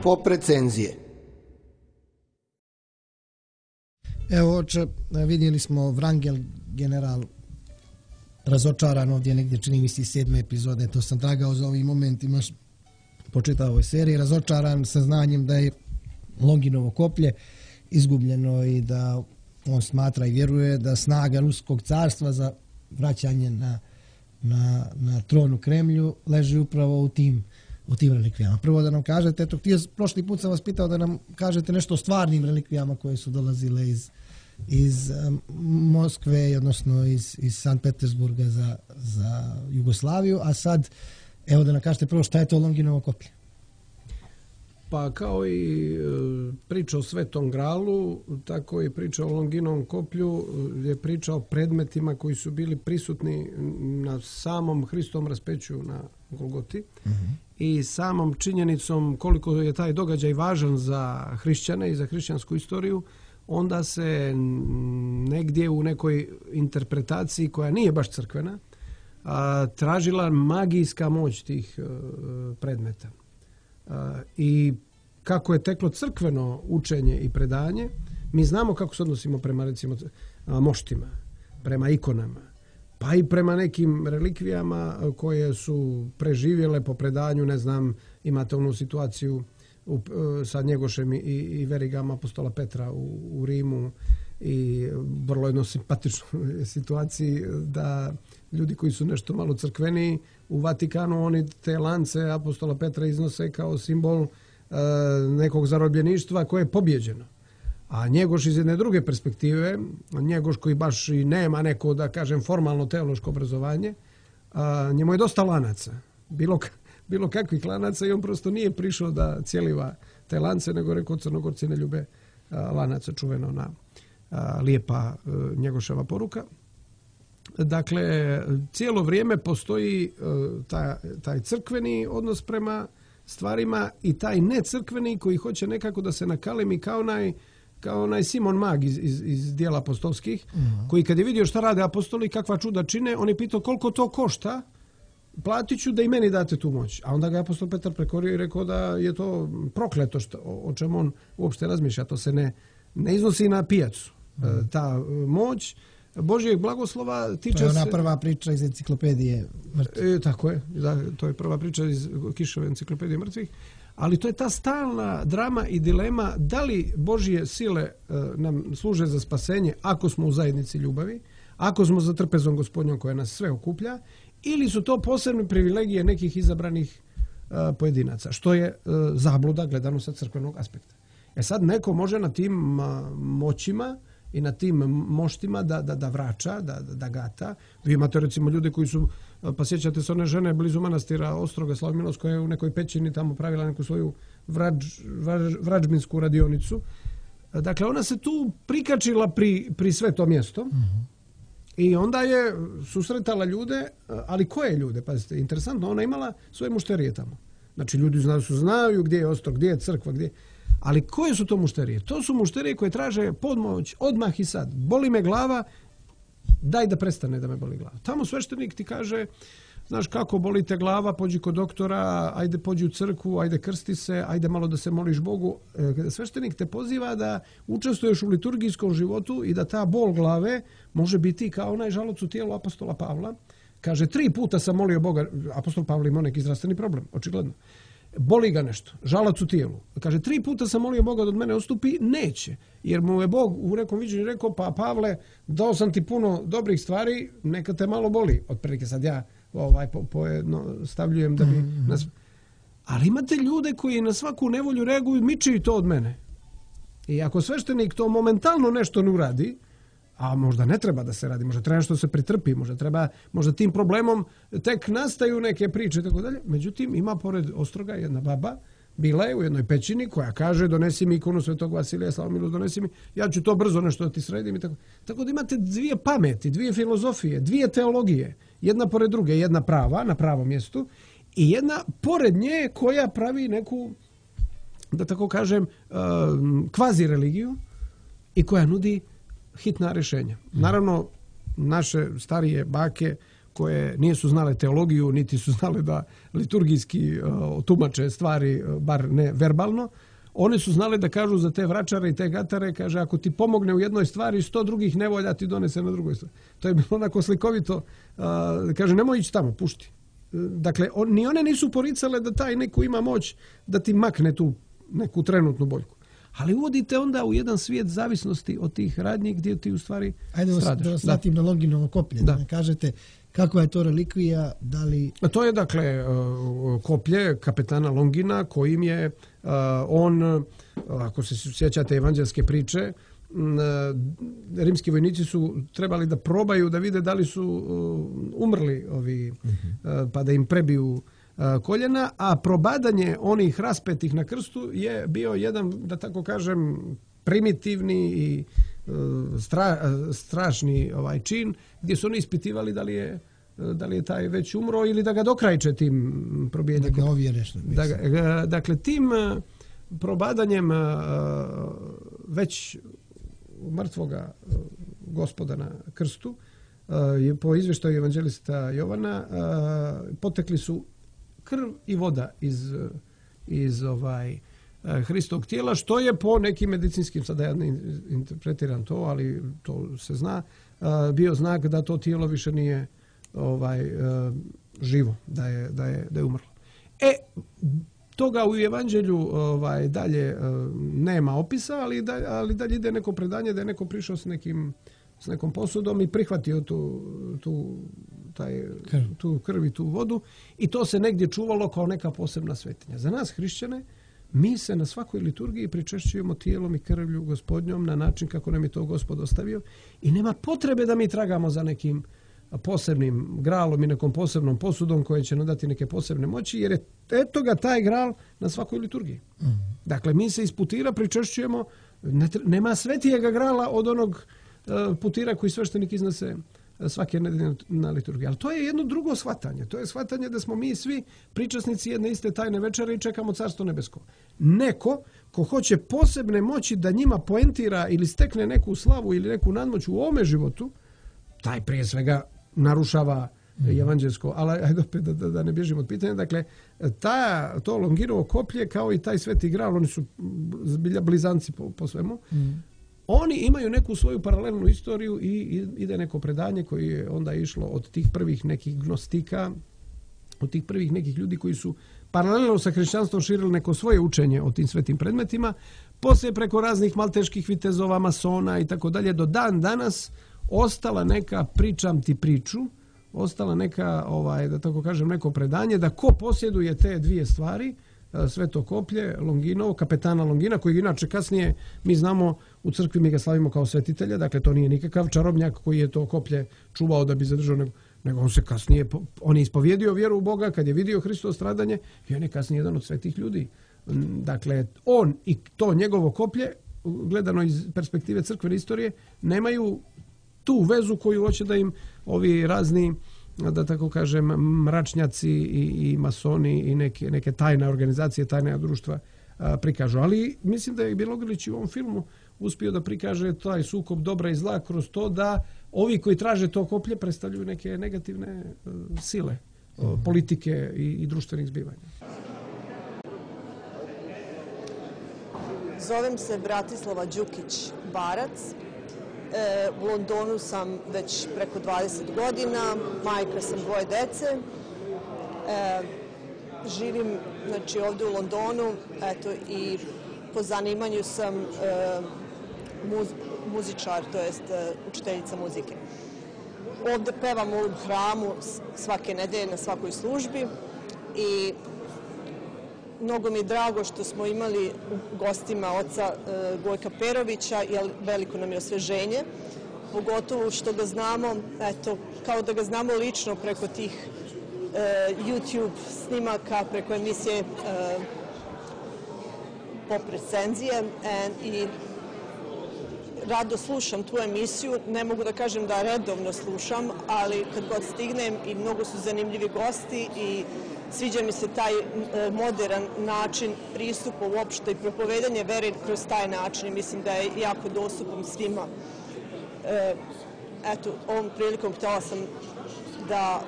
Pop recenzije. Evo, oče, vidjeli smo Vrangel general razočaran ovdje negdje, čini mi se 7. epizode, to sam tragao za ovim momentima po čitavoj seriji, razočaran sa znanjem da je Longinovo koplje izgubljeno i da on smatra i vjeruje da snaga Ruskog carstva za vraćanje na tron u Kremlju leži upravo u tim relikvijama. Prvo da nam kažete, prošli put sam vas pitao da nam kažete nešto o stvarnim relikvijama koje su dolazile iz Moskve, odnosno iz Sankt Petersburga za Jugoslaviju, a sad evo da nam kažete prvo šta je to Longinovo koplje. Pa kao i priča o Svetom Gralu, tako i priča o Longinovom koplju je priča o predmetima koji su bili prisutni na samom Hristovom raspeću na Golgoti i samom činjenicom koliko je taj događaj važan za hrišćane i za hrišćansku istoriju, onda se negdje u nekoj interpretaciji koja nije baš crkvena tražila magijska moć tih predmeta. I kako je teklo crkveno učenje i predanje, mi znamo kako se odnosimo prema recimo moštima, prema ikonama, pa i prema nekim relikvijama koje su preživjele po predanju, ne znam, imate onu situaciju sa Njegošem i verigama apostola Petra u Rimu i vrlo jedno simpatičnoj situaciji da ljudi koji su nešto malo crkveniji u Vatikanu, oni te lance apostola Petra iznose kao simbol nekog zarobljeništva koje je pobjeđeno. A Njegoš iz jedne druge perspektive, Njegoš koji baš i nema neko, da kažem, formalno teološko obrazovanje, njemu je dosta lanaca, bilo kakvih lanaca i on prosto nije prišao da cijeliva te lance, nego rekao Crnogorci ne ljube lanaca, čuveno na lijepa Njegoševa poruka. Dakle, cijelo vrijeme postoji taj crkveni odnos prema stvarima i taj necrkveni koji hoće nekako da se nakalemi kao onaj Simon Mag iz dijela apostolskih, koji kad je vidio šta rade apostoli, kakva čuda čine, on je pitao koliko to košta, platit ću da i meni date tu moć. A onda ga je apostol Petar prekorio i rekao da je to prokleto o čemu on uopšte razmišlja. To se ne iznosi na pijacu. Ta moć Božjeg blagoslova tiče se... To je ona prva priča iz enciklopedije mrtvih. Tako je. To je prva priča iz Kišove enciklopedije mrtvih. Ali to je ta stalna drama i dilema da li Božje sile nam služe za spasenje ako smo u zajednici ljubavi, ako smo za trpezom Gospodnjom koja nas sve okuplja, ili su to posebne privilegije nekih izabranih pojedinaca, što je zabluda gledano sa crkvenog aspekta. Sad neko može na tim moćima i na tim moštima da vraća, da gata. Vi imate recimo ljude koji su, pa sjećate se one žene blizu manastira Ostroga Slavmilost koja je u nekoj pećini tamo pravila neku svoju vrađbinsku radionicu. Dakle, ona se tu prikačila pri sve to mjesto i onda je susretala ljude, ali koje ljude? Pazite, interesantno, ona imala svoje mušterije tamo. Znači, ljudi znaju gdje je Ostrog, gdje je crkva, gdje... Ali koje su to mušterije? To su mušterije koje traže podmoć odmah i sad. Boli me glava, daj da prestane da me boli glava. Tamo sveštenik ti kaže, znaš kako boli te glava, pođi kod doktora, ajde pođi u crkvu, ajde krsti se, ajde malo da se moliš Bogu. Sveštenik te poziva da učestvuješ u liturgijskom životu i da ta bol glave može biti kao onaj žaloc u tijelu apostola Pavla. Kaže, 3 puta sam molio Boga, apostol Pavle imao neki zdravstveni problem, očigledno. Boli ga nešto, žalac u tijelu. Kaže, 3 puta sam molio Boga da od mene odstupi, neće. Jer mu je Bog u nekom viđenju rekao, pa Pavle, dao sam ti puno dobrih stvari, neka te malo boli. Otprilike sad ja stavljujem da bi nas... Ali imate ljude koji na svaku nevolju reaguju, miči to od mene. I ako sveštenik to momentalno nešto ne uradi, a možda ne treba da se radi, možda treba nešto se pritrpi, možda tim problemom tek nastaju neke priče i tako dalje. Međutim, ima pored Ostroga jedna baba, bila je u jednoj pećini koja kaže donesi mi ikonu Svetog Vasilija Slavomilus, donesi mi, ja ću to brzo nešto da ti sredim i tako. Tako da imate 2 pameti, 2 filozofije, 2 teologije, jedna pored druge, jedna prava, na pravom mjestu i jedna pored nje koja pravi neku, da tako kažem, kvazi religiju i koja nudi hitna rješenja. Naravno, naše starije bake koje nisu znale teologiju, niti su znale da liturgijski tumače stvari, bar ne verbalno, one su znale da kažu za te vračare i te gatare, kaže, ako ti pomogne u jednoj stvari, 100 drugih nevolja ti donese na drugoj stvari. To je bilo onako slikovito. Kaže, nemoj ići tamo, pušti. Dakle, ni one nisu poricale da taj neko ima moć da ti makne tu neku trenutnu boljku. Ali uvodite onda u jedan svijet zavisnosti od tih radnji gdje ti u stvari stradaš. Ajde da vas vratim na Longinovo koplje. Da kažete kakva je to relikvija, da li... To je dakle koplje kapetana Longina kojim je on, ako se sjećate evanđelske priče, rimski vojnici su trebali da probaju da vide da li su umrli ovi, pa da im prebiju koljena, a probadanje onih raspetih na krstu je bio jedan, da tako kažem, primitivni i strašni čin gdje su oni ispitivali da li je taj već umro ili da ga dokrajče tim probijenjem. Da ga ovjere što dakle, tim probadanjem već mrtvoga Gospoda na krstu, po izvještaju evanđelista Jovana, potekli su krv i voda iz Hristovog tijela, što je po nekim medicinskim, sada ja ne interpretiram to, ali to se zna, bio znak da to tijelo više nije živo, da je umrlo. Toga u evanđelju dalje nema opisa, ali dalje ide neko predanje da je neko prišao s nekom posudom i prihvatio tu krv i tu vodu i to se negdje čuvalo kao neka posebna svetinja. Za nas hrišćane, mi se na svakoj liturgiji pričešćujemo tijelom i krvlju Gospodnjom na način kako nam je to Gospod ostavio i nema potrebe da mi tragamo za nekim posebnim gralom i nekom posebnom posudom koje će nam dati neke posebne moći, jer je eto ga taj gral na svakoj liturgiji. Dakle, mi se iz putira pričešćujemo, nema svetijega grala od onog putira koji sveštenik iznese svake nedelje na liturgiji. Ali to je jedno drugo shvatanje. To je shvatanje da smo mi svi pričasnici jedne iste tajne večere i čekamo Carstvo nebesko. Neko ko hoće posebne moći da njima poentira ili stekne neku slavu ili neku nadmoć u ovome životu, taj prije svega narušava evanđelsko, ali ajde opet da ne bježimo od pitanja. Dakle, to Longirovo koplje kao i taj Sveti Gral, oni su zbilja blizanci po svemu, oni imaju neku svoju paralelnu istoriju i ide neko predanje koje je onda išlo od tih prvih nekih gnostika, od tih prvih nekih ljudi koji su paralelno sa hrišćanstvom širili neko svoje učenje o tim svetim predmetima, poslije preko raznih malteških vitezova, masona i tako dalje, do dan danas ostala neka pričam ti priču, ostala neka, da tako kažem, neko predanje da ko posjeduje te dvije stvari, Sveto koplje, Longinovo, kapetana Longina, koji inače kasnije mi znamo u crkvi, mi ga slavimo kao svetitelja, dakle to nije nikakav čarobnjak koji je to koplje čuvao da bi zadržao, nego on se kasnije, on je ispovjedio vjeru u Boga kad je vidio Hristovo stradanje i on je kasnije jedan od svetih ljudi. Dakle, on i to njegovo koplje, gledano iz perspektive crkvene istorije, nemaju tu vezu koju hoće da im ovi razni, da tako kažem, mračnjaci i masoni i neke tajne organizacije, tajne društva prikažu. Ali mislim da je Bjelogrlić u ovom filmu uspio da prikaže taj sukob dobra i zla kroz to da ovi koji traže to koplje predstavljaju neke negativne sile politike i društvenih zbivanja. Zovem se Bratislava Đukić-Barac. U Londonu sam već preko 20 godina, majka sam 2 dece. Živim ovdje u Londonu i po zanimanju sam muzičar, to jest učiteljica muzike. Ovdje pevam u hramu svake nedelje na svakoj službi i mnogo mi je drago što smo imali u gostima oca Gojka Perovića, jer veliko nam je osveženje, pogotovo što ga znamo, kao da ga znamo lično preko tih YouTube snimaka, preko emisije Pop recenzije i rado slušam tu emisiju. Ne mogu da kažem da redovno slušam, ali kad god stignem i mnogo su zanimljivi gosti i sviđa mi se taj modern način pristupa uopšte i propovedanje vere kroz taj način. Mislim da je jako dostupan svima. Ovom prilikom htjela sam da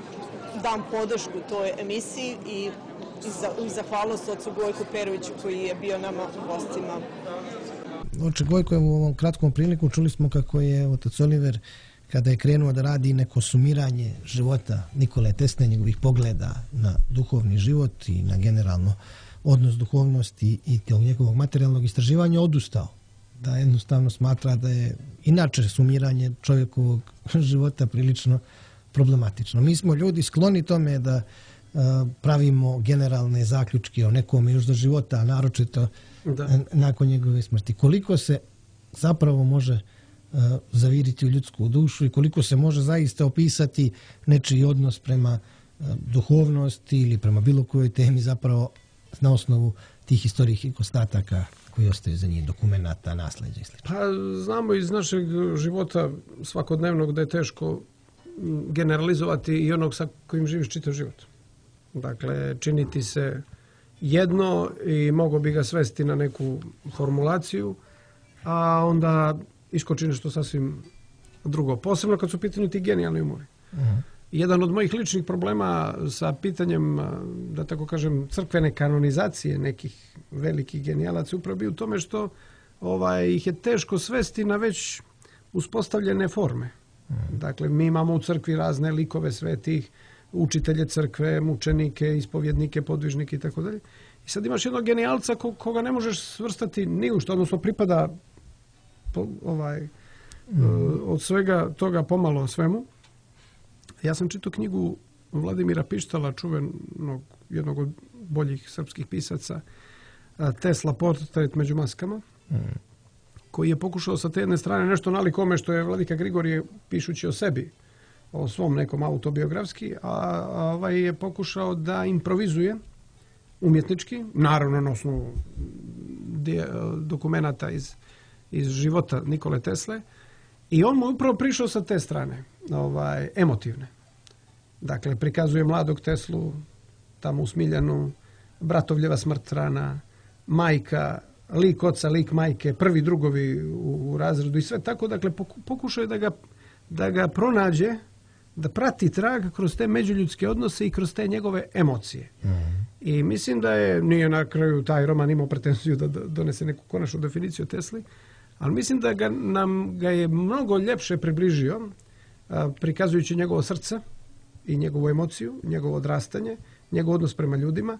dam podršku toj emisiji i zahvalnost ocu Gojku Peroviću koji je bio nama gostima. Oče Gojko, u ovom kratkom priliku čuli smo kako je otac Oliver, kada je krenuo da radi neko sumiranje života Nikole Tesle, njegovih pogleda na duhovni život i na generalno odnos duhovnosti i tog njegovog materijalnog istraživanja, odustao. Da jednostavno smatra da je inače sumiranje čovjekovog života prilično problematično. Mi smo ljudi skloni tome da pravimo generalne zaključke o nekom još do života, a naročito nakon njegove smrti. Koliko se zapravo može zaviriti u ljudsku dušu i koliko se može zaista opisati nečiji odnos prema duhovnosti ili prema bilo kojoj temi zapravo na osnovu tih historijskih ostataka koji ostaju za njih, dokumenata, nasleđa i sl. Pa znamo iz našeg života svakodnevnog da je teško generalizovati i onog sa kojim živiš čitav život. Dakle, činiti se jedno i mogo bi ga svesti na neku formulaciju, a onda iskoči nešto sasvim drugo. Posebno kad su u pitanju ti genijalni umovi. Jedan od mojih ličnih problema sa pitanjem, da tako kažem, crkvene kanonizacije nekih velikih genijalaca upravo bio u tome što ih je teško svesti na već uspostavljene forme. Dakle, mi imamo u crkvi razne likove svetih, učitelje crkve, mučenike, ispovjednike, podvižnike i tako dalje. I sad imaš jednog genijalca koga ne možeš svrstati ni u što, odnosno pripada od svega toga pomalo svemu. Ja sam čitao knjigu Vladimira Pištala, čuvenog, jednog od boljih srpskih pisaca, Tesla, portret među maskama, koji je pokušao sa te jedne strane nešto nalik ome što je vladika Grigorije pišući o sebi, o svom nekom autobiografski, a je pokušao da improvizuje umjetnički, naravno na osnovu dokumenata iz života Nikole Tesle, I on mu upravo prišao sa te strane, emotivne. Dakle, prikazuje mladog Teslu, tamo u Smiljanu, bratovljeva smrt rana, majka, lik oca, lik majke, prvi drugovi u razredu i sve tako. Dakle, pokušao je da ga pronađe, da prati trag kroz te međuljudske odnose i kroz te njegove emocije. I mislim da nije na kraju taj roman imao pretenziju da donese neku konačnu definiciju o Tesli, ali mislim da nam ga je mnogo ljepše približio, prikazujući njegovo srce i njegovu emociju, njegovo odrastanje, njegov odnos prema ljudima,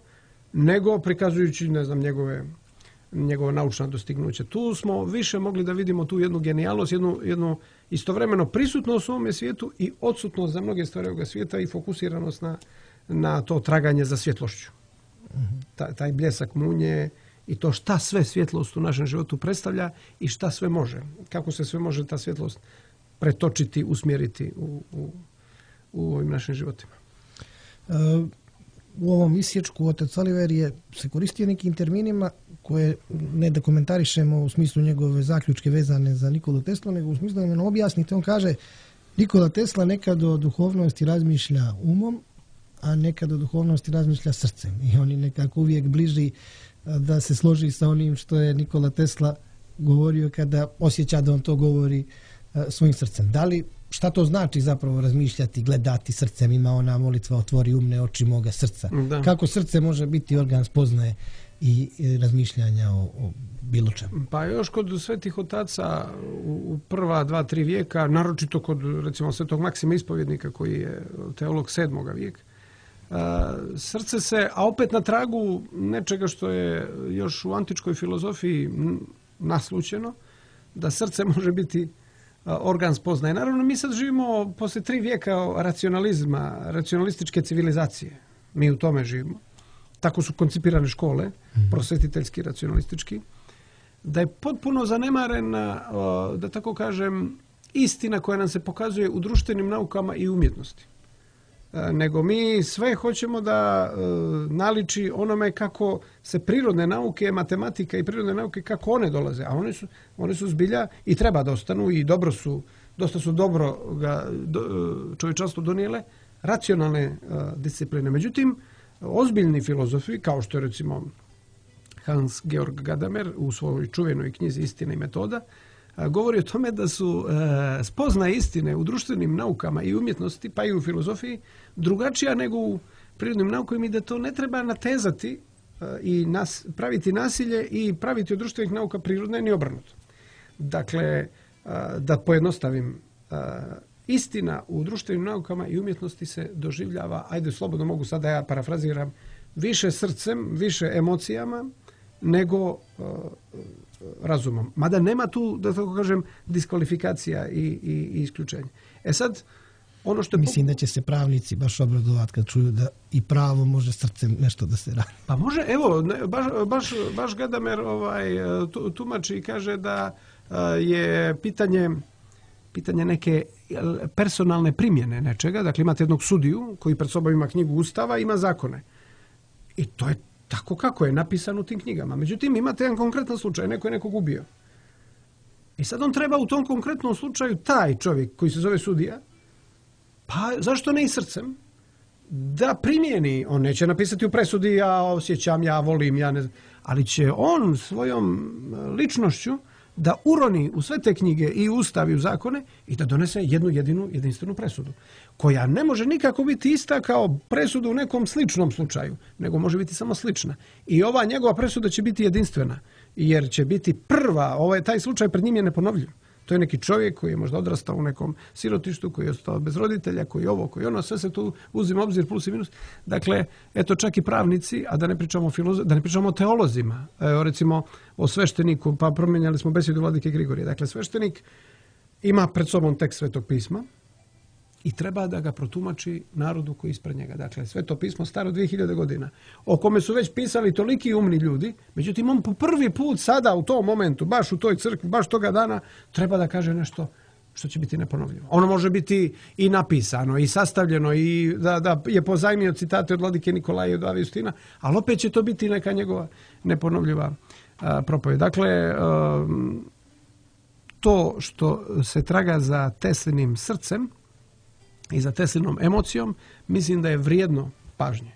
nego prikazujući, ne znam, njegova naučna dostignuća. Tu smo više mogli da vidimo tu jednu genijalnost, jednu istovremeno prisutnost u ovome svijetu i odsutnost za mnoge stvari ovoga svijeta i fokusiranost na to traganje za svjetlošću. Taj bljesak munje i to šta sve svjetlost u našem životu predstavlja i šta sve može. Kako se sve može ta svjetlost pretočiti, usmjeriti u ovim našim životima. U ovom isječku otac Oliver se koristio nekim terminima koje ne da komentarišemo u smislu njegove zaključke vezane za Nikolu Teslu, nego u smislu da nam objasnite. On kaže, Nikola Tesla nekad o duhovnosti razmišlja umom, a nekad o duhovnosti razmišlja srcem. I on je nekako uvijek bliži da se složi sa onim što je Nikola Tesla govorio kada osjeća da on to govori svojim srcem. Šta to znači zapravo razmišljati, gledati srcem? Ima ona molitva otvori umne oči moga srca. Da. Kako srce može biti organ spoznaje i razmišljanja o bilo čemu? Pa još kod svetih otaca u prva 2-3 vijeka, naročito kod recimo svetog Maksima Ispovjednika koji je teolog 7. vijeka, srce se, a opet na tragu nečega što je još u antičkoj filozofiji naslućeno, da srce može biti organ spoznaje. Naravno, mi sad živimo posle 3 vijeka racionalizma, racionalističke civilizacije. Mi u tome živimo. Tako su koncipirane škole, prosvetiteljski, racionalistički, da je potpuno zanemarena, da tako kažem, istina koja nam se pokazuje u društvenim naukama i umjetnosti. Nego mi sve hoćemo da naliči onome kako se prirodne nauke, matematika i prirodne nauke, kako one dolaze. A one su zbilja i treba da ostanu i dosta su dobro čovječanstvo donijele racionalne discipline. Međutim, ozbiljni filozofi, kao što je recimo Hans Georg Gadamer u svojoj čuvenoj knjizi Istina i metoda, govori o tome da su spoznaje istine u društvenim naukama i umjetnosti, pa i u filozofiji, drugačija nego u prirodnim naukama i da to ne treba natezati i praviti nasilje i praviti od društvenih nauka prirodne ni obrnuto. Dakle, da pojednostavim, istina u društvenim naukama i umjetnosti se doživljava, ajde slobodno mogu sad da ja parafraziram, više srcem, više emocijama nego razumom. Mada nema tu, da tako kažem, diskvalifikacija i isključenja. Sad, ono što mislim da će se pravnici baš obradovati kad čuju da i pravo može srcem nešto da se radi. Pa može, evo, baš Gadamer tumači i kaže da je pitanje neke personalne primjene nečega. Dakle, imate jednog sudiju koji pred sobom ima knjigu Ustava, ima zakone. I to je tako kako je napisano u tim knjigama. Međutim, imate jedan konkretan slučaj, neko je nekog ubio. I sad on treba u tom konkretnom slučaju taj čovjek koji se zove sudija, pa zašto ne i srcem, da primijeni. On neće napisati u presudi ja osjećam, ja volim, ja ne znam, ali će on svojom ličnošću da uroni u sve te knjige i ustav i u zakone i da donese jednu jedinstvenu presudu, koja ne može nikako biti ista kao presuda u nekom sličnom slučaju, nego može biti samo slična. I ova njegova presuda će biti jedinstvena, jer će biti prva, taj slučaj pred njim je neponovljiv. To je neki čovjek koji je možda odrastao u nekom sirotištu, koji je ostao bez roditelja, koji je ovo, koji je ono, sve se tu uzima obzir plus i minus. Dakle, eto čak i pravnici, a da ne pričamo o teolozima, recimo o svešteniku, pa promijenjali smo besjedu vladike Grigorije. Dakle, sveštenik ima pred sobom tekst Svetog pisma i treba da ga protumači narodu koji je ispred njega. Dakle, Sveto pismo staro 2000 godina, o kome su već pisali toliki umni ljudi, međutim, on po prvi put sada u tom momentu, baš u toj crkvi, baš toga dana, treba da kaže nešto što će biti neponovljivo. Ono može biti i napisano, i sastavljeno, i da je pozajmio citate od vladike Nikolaja i od Ave Justina, ali opet će to biti neka njegova neponovljiva propovjed. Dakle, to što se traga za Teslinim srcem i za Teslinom emocijom, mislim da je vrijedno pažnje.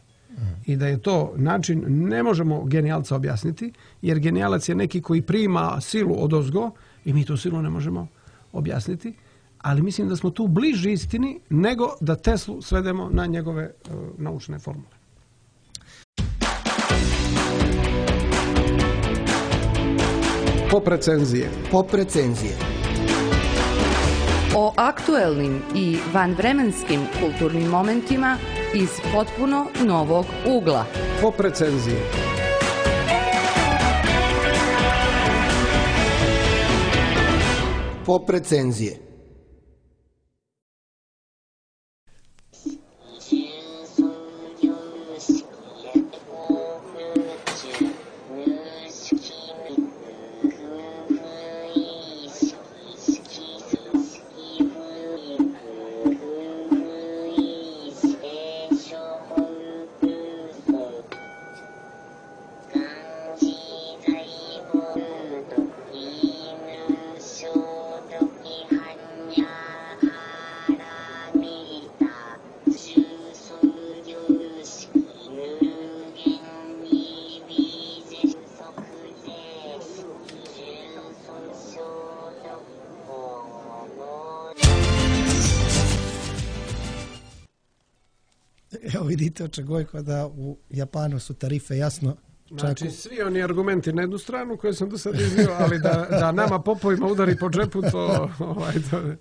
I da je to način, ne možemo genijalca objasniti, jer genijalac je neki koji prima silu odozgo i mi tu silu ne možemo objasniti, ali mislim da smo tu bliži istini nego da Teslu svedemo na njegove naučne formule. Pop recenzije. Pop recenzije. O aktuelnim i vanvremenskim kulturnim momentima iz potpuno novog ugla. Pop recenzije. Pop recenzije. Evo vidite Očegojko da u Japanu su tarife jasno. Znači svi oni argumenti na jednu stranu koje sam do sad iznio, ali da nama popovima udari po džepu, to...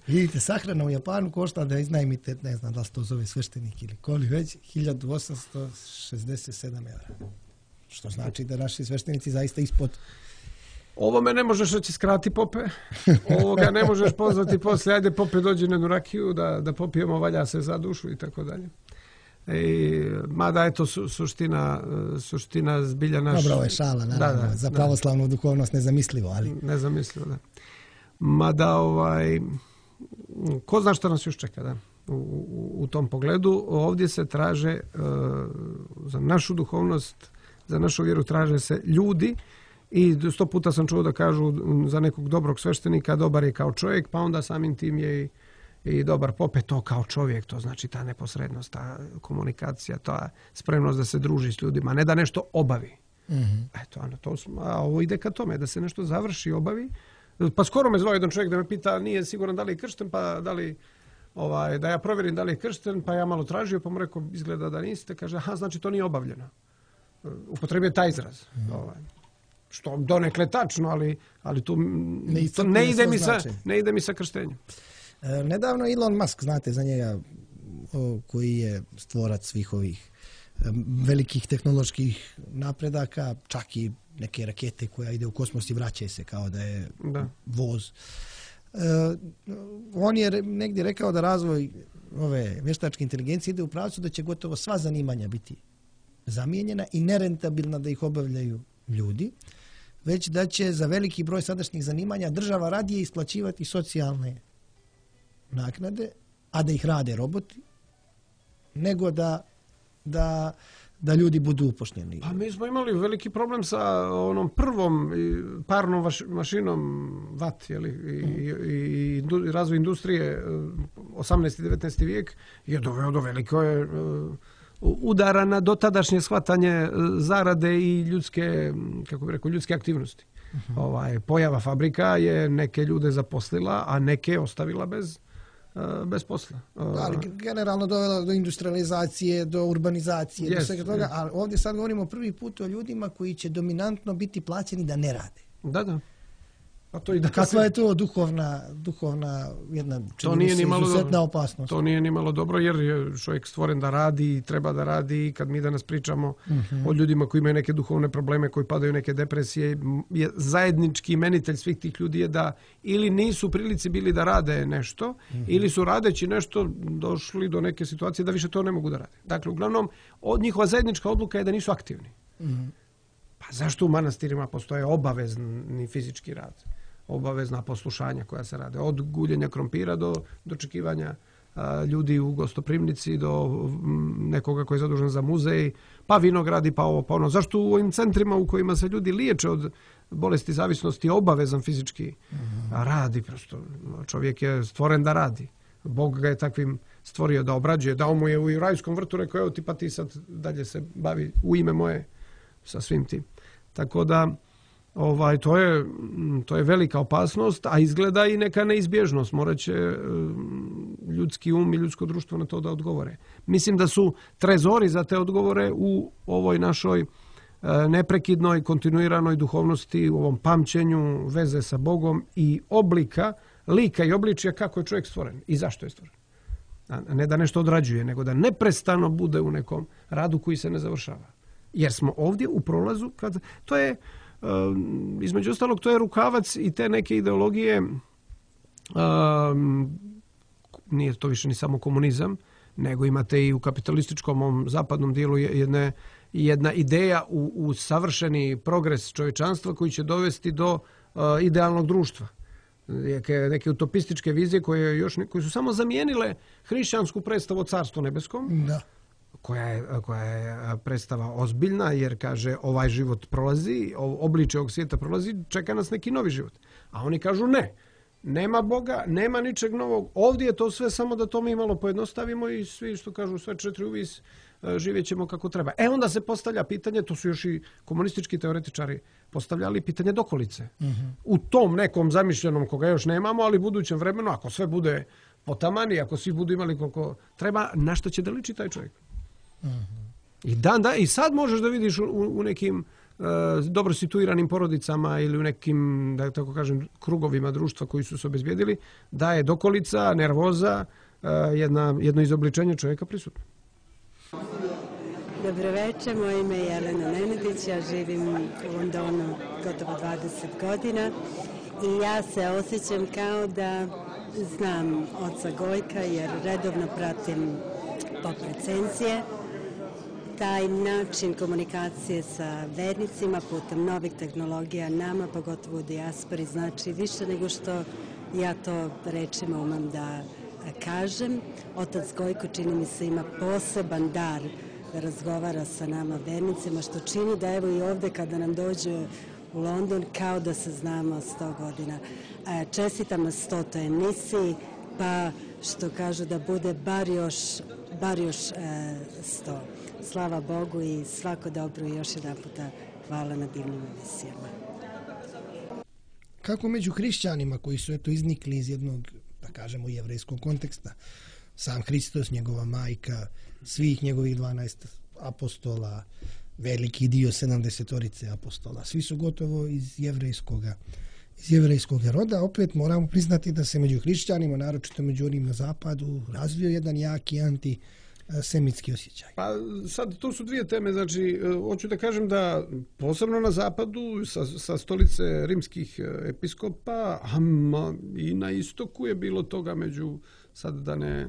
Vidite, sahrana u Japanu košta da iznajmite, ne znam da li se to zove sveštenik ili koli već, 1867 €. Što znači da naši sveštenici zaista ispod... Ovo me ne možeš reći skrati pope, ovoga ne možeš pozvati poslije, ajde pope dođi na jednu rakiju da popijemo, valja se za dušu i tako dalje. Mada je to suština zbilja naša. Dobro, ovo je šala, naravno, za pravoslavnu duhovnost nezamislivo, ali... Nezamislivo, da. Mada, ko zna šta nas još čeka, da, u tom pogledu. Ovdje se traže, za našu duhovnost, za našu vjeru traže se ljudi i 100 puta sam čuo da kažu za nekog dobrog sveštenika, dobar je kao čovjek, pa onda samim tim je i dobar pope, to kao čovjek, to znači ta neposrednost, ta komunikacija, ta spremnost da se druži s ljudima, ne da nešto obavi. Eto, a ovo ide ka tome, da se nešto završi, obavi. Pa skoro me zvao jedan čovjek da me pita, nije siguran da li je kršten, pa da li, da ja provjerim da li je kršten, pa ja malo tražio, pa mu rekao, izgleda da niste, kaže, aha, znači to nije obavljeno. Upotrebio taj izraz. Što donekle tačno, ali tu ne ide mi sa krštenjem. Nedavno Elon Musk, znate za njega, koji je stvorac svih ovih velikih tehnoloških napredaka, čak i neke rakete koja ide u kosmos i vraća se kao da je voz. On je negdje rekao da razvoj ove vještačke inteligencije ide u pravcu da će gotovo sva zanimanja biti zamijenjena i nerentabilna da ih obavljaju ljudi, već da će za veliki broj sadašnjih zanimanja država radije isplaćivati socijalne naknade, a da ih rade roboti, nego da ljudi budu upošljeni. Pa mi smo imali veliki problem sa onom prvom parnom mašinom VAT, i razvoj industrije 18. i 19. vijek je doveo do veliko udara na dotadašnje shvatanje zarade i ljudske, kako bih rekao, ljudske aktivnosti. Pojava fabrika je neke ljude zaposlila, a neke ostavila bez posla. Ali generalno dovela do industrializacije, do urbanizacije, do svega toga, ali ovdje sad govorimo prvi put o ljudima koji će dominantno biti plaćeni da ne rade. Da. Kakva je to duhovna jedna izuzetna opasnost? To nije ni malo dobro, jer je čovjek stvoren da radi i treba da radi, i kad mi danas pričamo o ljudima koji imaju neke duhovne probleme, koji padaju neke depresije, je zajednički imenitelj svih tih ljudi je da ili nisu u prilici bili da rade nešto, ili su radeći nešto došli do neke situacije da više to ne mogu da rade. Dakle, uglavnom, njihova zajednička odluka je da nisu aktivni. Pa zašto u manastirima postoje obavezni fizički rad? Obavezna poslušanja koja se rade. Od guljenja krompira do dočekivanja ljudi u gostoprimnici, do nekoga koji je zadužen za muzej, pa vinogradi, pa ovo, pa ono. Zašto u ovim centrima u kojima se ljudi liječe od bolesti zavisnosti je obavezan fizički radi. Prosto. Čovjek je stvoren da radi. Bog ga je takvim stvorio da obrađuje. Dao mu je u rajskom vrtu, rekao, evo ti pa ti sad dalje se bavi u ime moje sa svim tim. Tako da to je velika opasnost, a izgleda i neka neizbježnost. Morat će ljudski um i ljudsko društvo na to da odgovore. Mislim da su trezori za te odgovore u ovoj našoj neprekidnoj, kontinuiranoj duhovnosti, u ovom pamćenju, veze sa Bogom i oblika, lika i obličja kako je čovjek stvoren i zašto je stvoren. A ne da nešto odrađuje, nego da neprestano bude u nekom radu koji se ne završava. Jer smo ovdje u prolazu, to je između ostalog, to je rukavac i te neke ideologije, nije to više ni samo komunizam, nego imate i u kapitalističkom ovom zapadnom dijelu jedna ideja u savršeni progres čovječanstva koji će dovesti do idealnog društva. Neke utopističke vizije koje su samo zamijenile hrišćansku predstavu o Carstvu nebeskom, da. Koja je predstava ozbiljna, jer kaže ovaj život prolazi, obličje ovog svijeta prolazi, čeka nas neki novi život. A oni kažu ne, nema Boga, nema ničeg novog, ovdje je to sve samo da to mi malo pojednostavimo i svi što kažu sve četiri uvis živjet ćemo kako treba. Onda se postavlja pitanje, to su još i komunistički teoretičari postavljali, pitanje dokolice. U tom nekom zamišljenom koga još nemamo, ali budućem vremenu, ako sve bude potamani, ako svi budu imali koliko treba, na što će da liči taj čovjek? I sad možeš da vidiš u nekim dobro situiranim porodicama ili u nekim, da tako kažem, krugovima društva koji su se obezbijedili, da je dokolica, nervoza, jedno izobličenje čovjeka prisutno. Dobro večer, moje ime je Jelena Nenadić, ja živim u Londonu gotovo 20 godina i ja se osjećam kao da znam oca Gojka jer redovno pratim pop recenzije. Taj način komunikacije sa vernicima putem novih tehnologija nama, pogotovo u dijaspori, znači više nego što ja to rečima umem da kažem. Otac Gojko, čini mi se, ima poseban dar da razgovara sa nama vernicima, što čini da evo i ovdje kada nam dođe u London kao da se znamo 100 godina. Čestitam na 100. emisiji, pa što kažu da bude bar još 100. Slava Bogu i svako dobro i još jedan puta hvala na divnim emisijama. Kako među hrišćanima koji su iznikli iz jednog, da kažemo, jevrejskog konteksta, sam Hristos, njegova majka, svih njegovih 12 apostola, veliki dio 70 apostola, svi su gotovo iz jevrejskog roda, opet moramo priznati da se među hrišćanima, naročito među onim na zapadu, razvio jedan jaki antisemitski osjećaj. Pa sad, to su dvije teme, znači, hoću da kažem da posebno na zapadu, sa stolice rimskih episkopa, i na istoku je bilo toga među, sad da ne...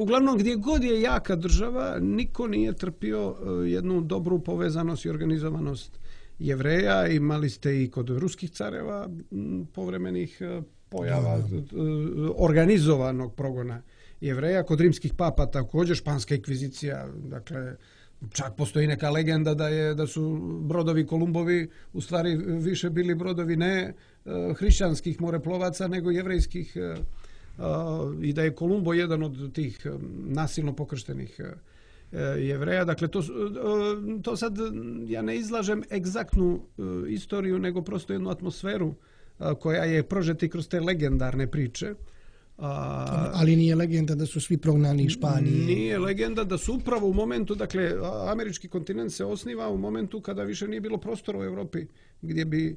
Uglavnom, gdje god je jaka država, niko nije trpio jednu dobru povezanost i organizovanost Jevreja. Imali ste i kod ruskih careva povremenih pojava organizovanog progona Jevreja, kod rimskih papa također, španska inkvizicija, dakle, čak postoji neka legenda da su brodovi Kolumbovi u stvari više bili brodovi ne hrišćanskih moreplovaca nego jevrejskih, i da je Kolumbo jedan od tih nasilno pokrštenih Jevreja. Dakle, to sad ja ne izlažem egzaktnu istoriju, nego prosto jednu atmosferu koja je prožeta kroz te legendarne priče. Ali nije legenda da su svi prognani iz Španije. Nije legenda da su upravo u momentu, dakle, američki kontinent se osniva u momentu kada više nije bilo prostora u Europi gdje bi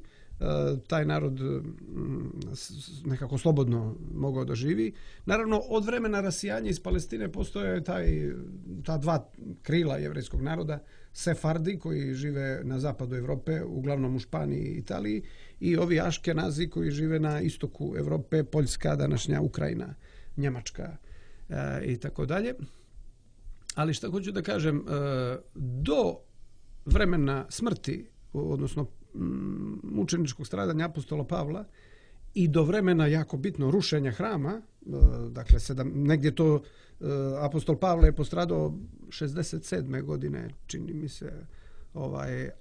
taj narod nekako slobodno mogao da živi. Naravno, od vremena rasijanja iz Palestine postoje ta dva krila jevrejskog naroda, Sefardi koji žive na zapadu Europe, uglavnom u Španiji i Italiji, i ovi Aškenazi koji žive na istoku Europe, Poljska, današnja Ukrajina, Njemačka i tako dalje. Ali šta hoću da kažem, do vremena smrti, odnosno mučeničkog stradanja apostola Pavla i do vremena jako bitno rušenja hrama, dakle negdje to apostol Pavle je postradao 67. godine, čini mi se,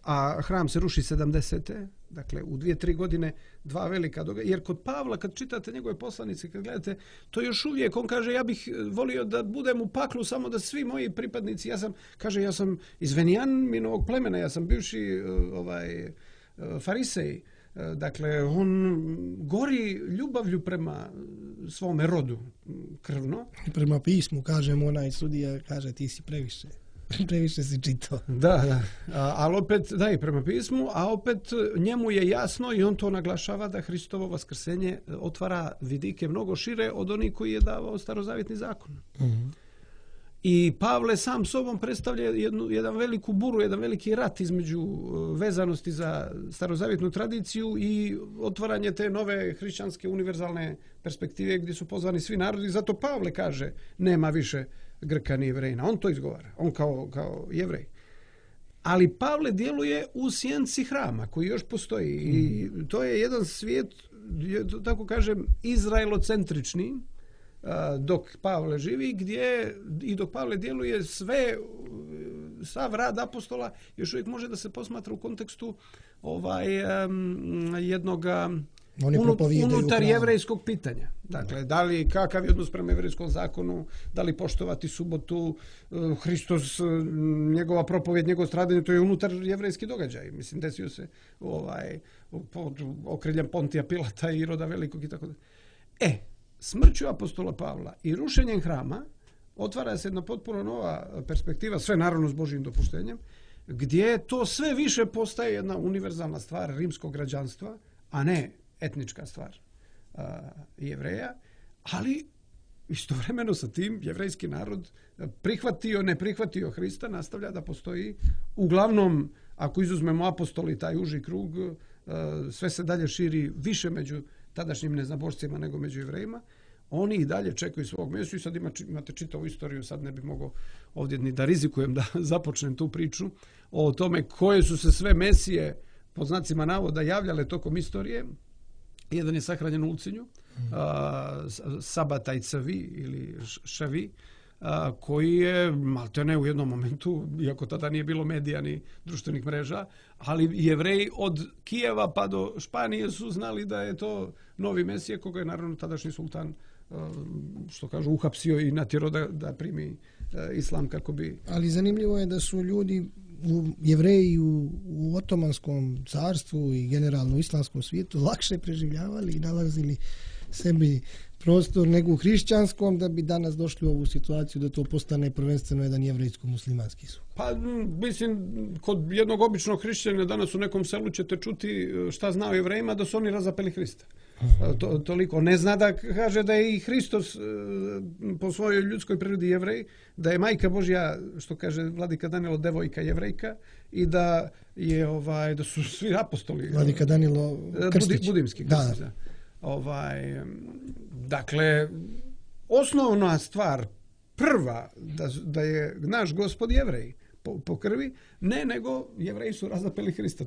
a hram se ruši 70. Dakle, u 2-3 godine 2 velika događaja. Jer kod Pavla, kad čitate njegove poslanice, kad gledate, to još uvijek, on kaže, ja bih volio da budem u paklu samo da svi moji pripadnici, ja sam iz Venijaminovog plemena, ja sam bivši farisej. Dakle, on gori ljubavlju prema svome rodu krvno. I prema pismu, kažem, onaj sudija kaže ti si previše si čitao. Da. Ali opet, da, i prema pismu, a opet njemu je jasno i on to naglašava da Hristovo vaskrsenje otvara vidike mnogo šire od onih koji je davao starozavjetni zakon. Mm-hmm. I Pavle sam sobom predstavlja jedan veliku buru, jedan veliki rat između vezanosti za starozavjetnu tradiciju i otvaranje te nove hrišćanske univerzalne perspektive gdje su pozvani svi narodi. Zato Pavle kaže nema više Grka ni Jevrejina. On to izgovara. On kao Jevrej. Ali Pavle djeluje u sjenci hrama koji još postoji. I to je jedan svijet, tako kažem, izraelocentrični, dok Pavle živi, gdje i dok Pavle djeluje sav rad apostola još uvijek može da se posmatra u kontekstu jednoga unutar jevrejskog pitanja. Dakle, da li kakav je odnos prema jevrejskom zakonu, da li poštovati subotu, Hristos, njegova propovjed, njegovo stradanje, to je unutar jevrejski događaj. Mislim, desio se pod okriljem Pontija Pilata i Iroda Velikog i tako da. Smrću apostola Pavla i rušenjem hrama otvara se jedna potpuno nova perspektiva, sve naravno s Božjim dopuštenjem, gdje to sve više postaje jedna univerzalna stvar rimskog građanstva, a ne etnička stvar Jevreja, ali istovremeno sa tim jevrejski narod prihvatio, ne prihvatio Hrista, nastavlja da postoji. Uglavnom, ako izuzmemo apostoli, taj uži krug, sve se dalje širi više među tadašnjim neznabošcima nego među Jevrejima. Oni i dalje čekaju svog mjestu i sad imate čitavu istoriju, sad ne bi mogao ovdje ni da rizikujem da započnem tu priču o tome koje su se sve mesije pod znacima navoda javljale tokom istorije. Jedan je sahranjen u Ulcinju, Sabataj Cavi ili Šavi, koji je maltene u jednom momentu, iako tada nije bilo medija ni društvenih mreža, ali Jevreji od Kijeva pa do Španije su znali da je to novi mesije, koga je naravno tadašnji sultan, što kažu, uhapsio i natjerao da primi islam kako bi... Ali zanimljivo je da su ljudi, Jevreji u Otomanskom carstvu i generalno u islamskom svijetu lakše preživljavali i nalazili sebi prostor nego u hrišćanskom, da bi danas došli u ovu situaciju da to postane prvenstveno jedan jevrejsko-muslimanski sukob. Pa, mislim, kod jednog običnog hrišćanina danas u nekom selu ćete čuti šta zna o Jevrejima, da su oni razapeli Hrista. Toliko. Ne zna da kaže da je i Hristos po svojoj ljudskoj prirodi Jevrej, da je Majka Božja, što kaže vladika Danilo, devojka Jevrejka i da je da su svi apostoli. Vladika Danilo Krstić. Budimski Krstić, da. Dakle, osnovna stvar, prva, da je naš Gospod Jevrej po krvi, nego Jevreji su razapeli Hrista.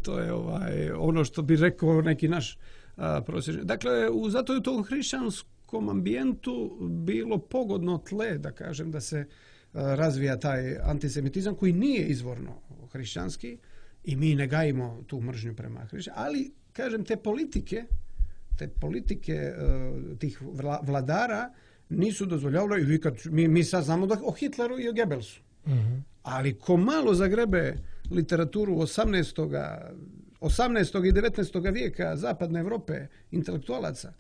To je ono što bi rekao neki naš prosječni. Dakle, zato je u tom hrišćanskom ambijentu bilo pogodno tle, da kažem, da se razvija taj antisemitizam koji nije izvorno hrišćanski i mi ne gajimo tu mržnju prema hrišćanima, ali, kažem, te politike tih vladara nisu dozvoljavali. Mi sad znamo o Hitleru i o Goebbelsu. Uh-huh. Ali ko malo zagrebe literaturu 18. i 19. vijeka zapadne Evrope, intelektualaca,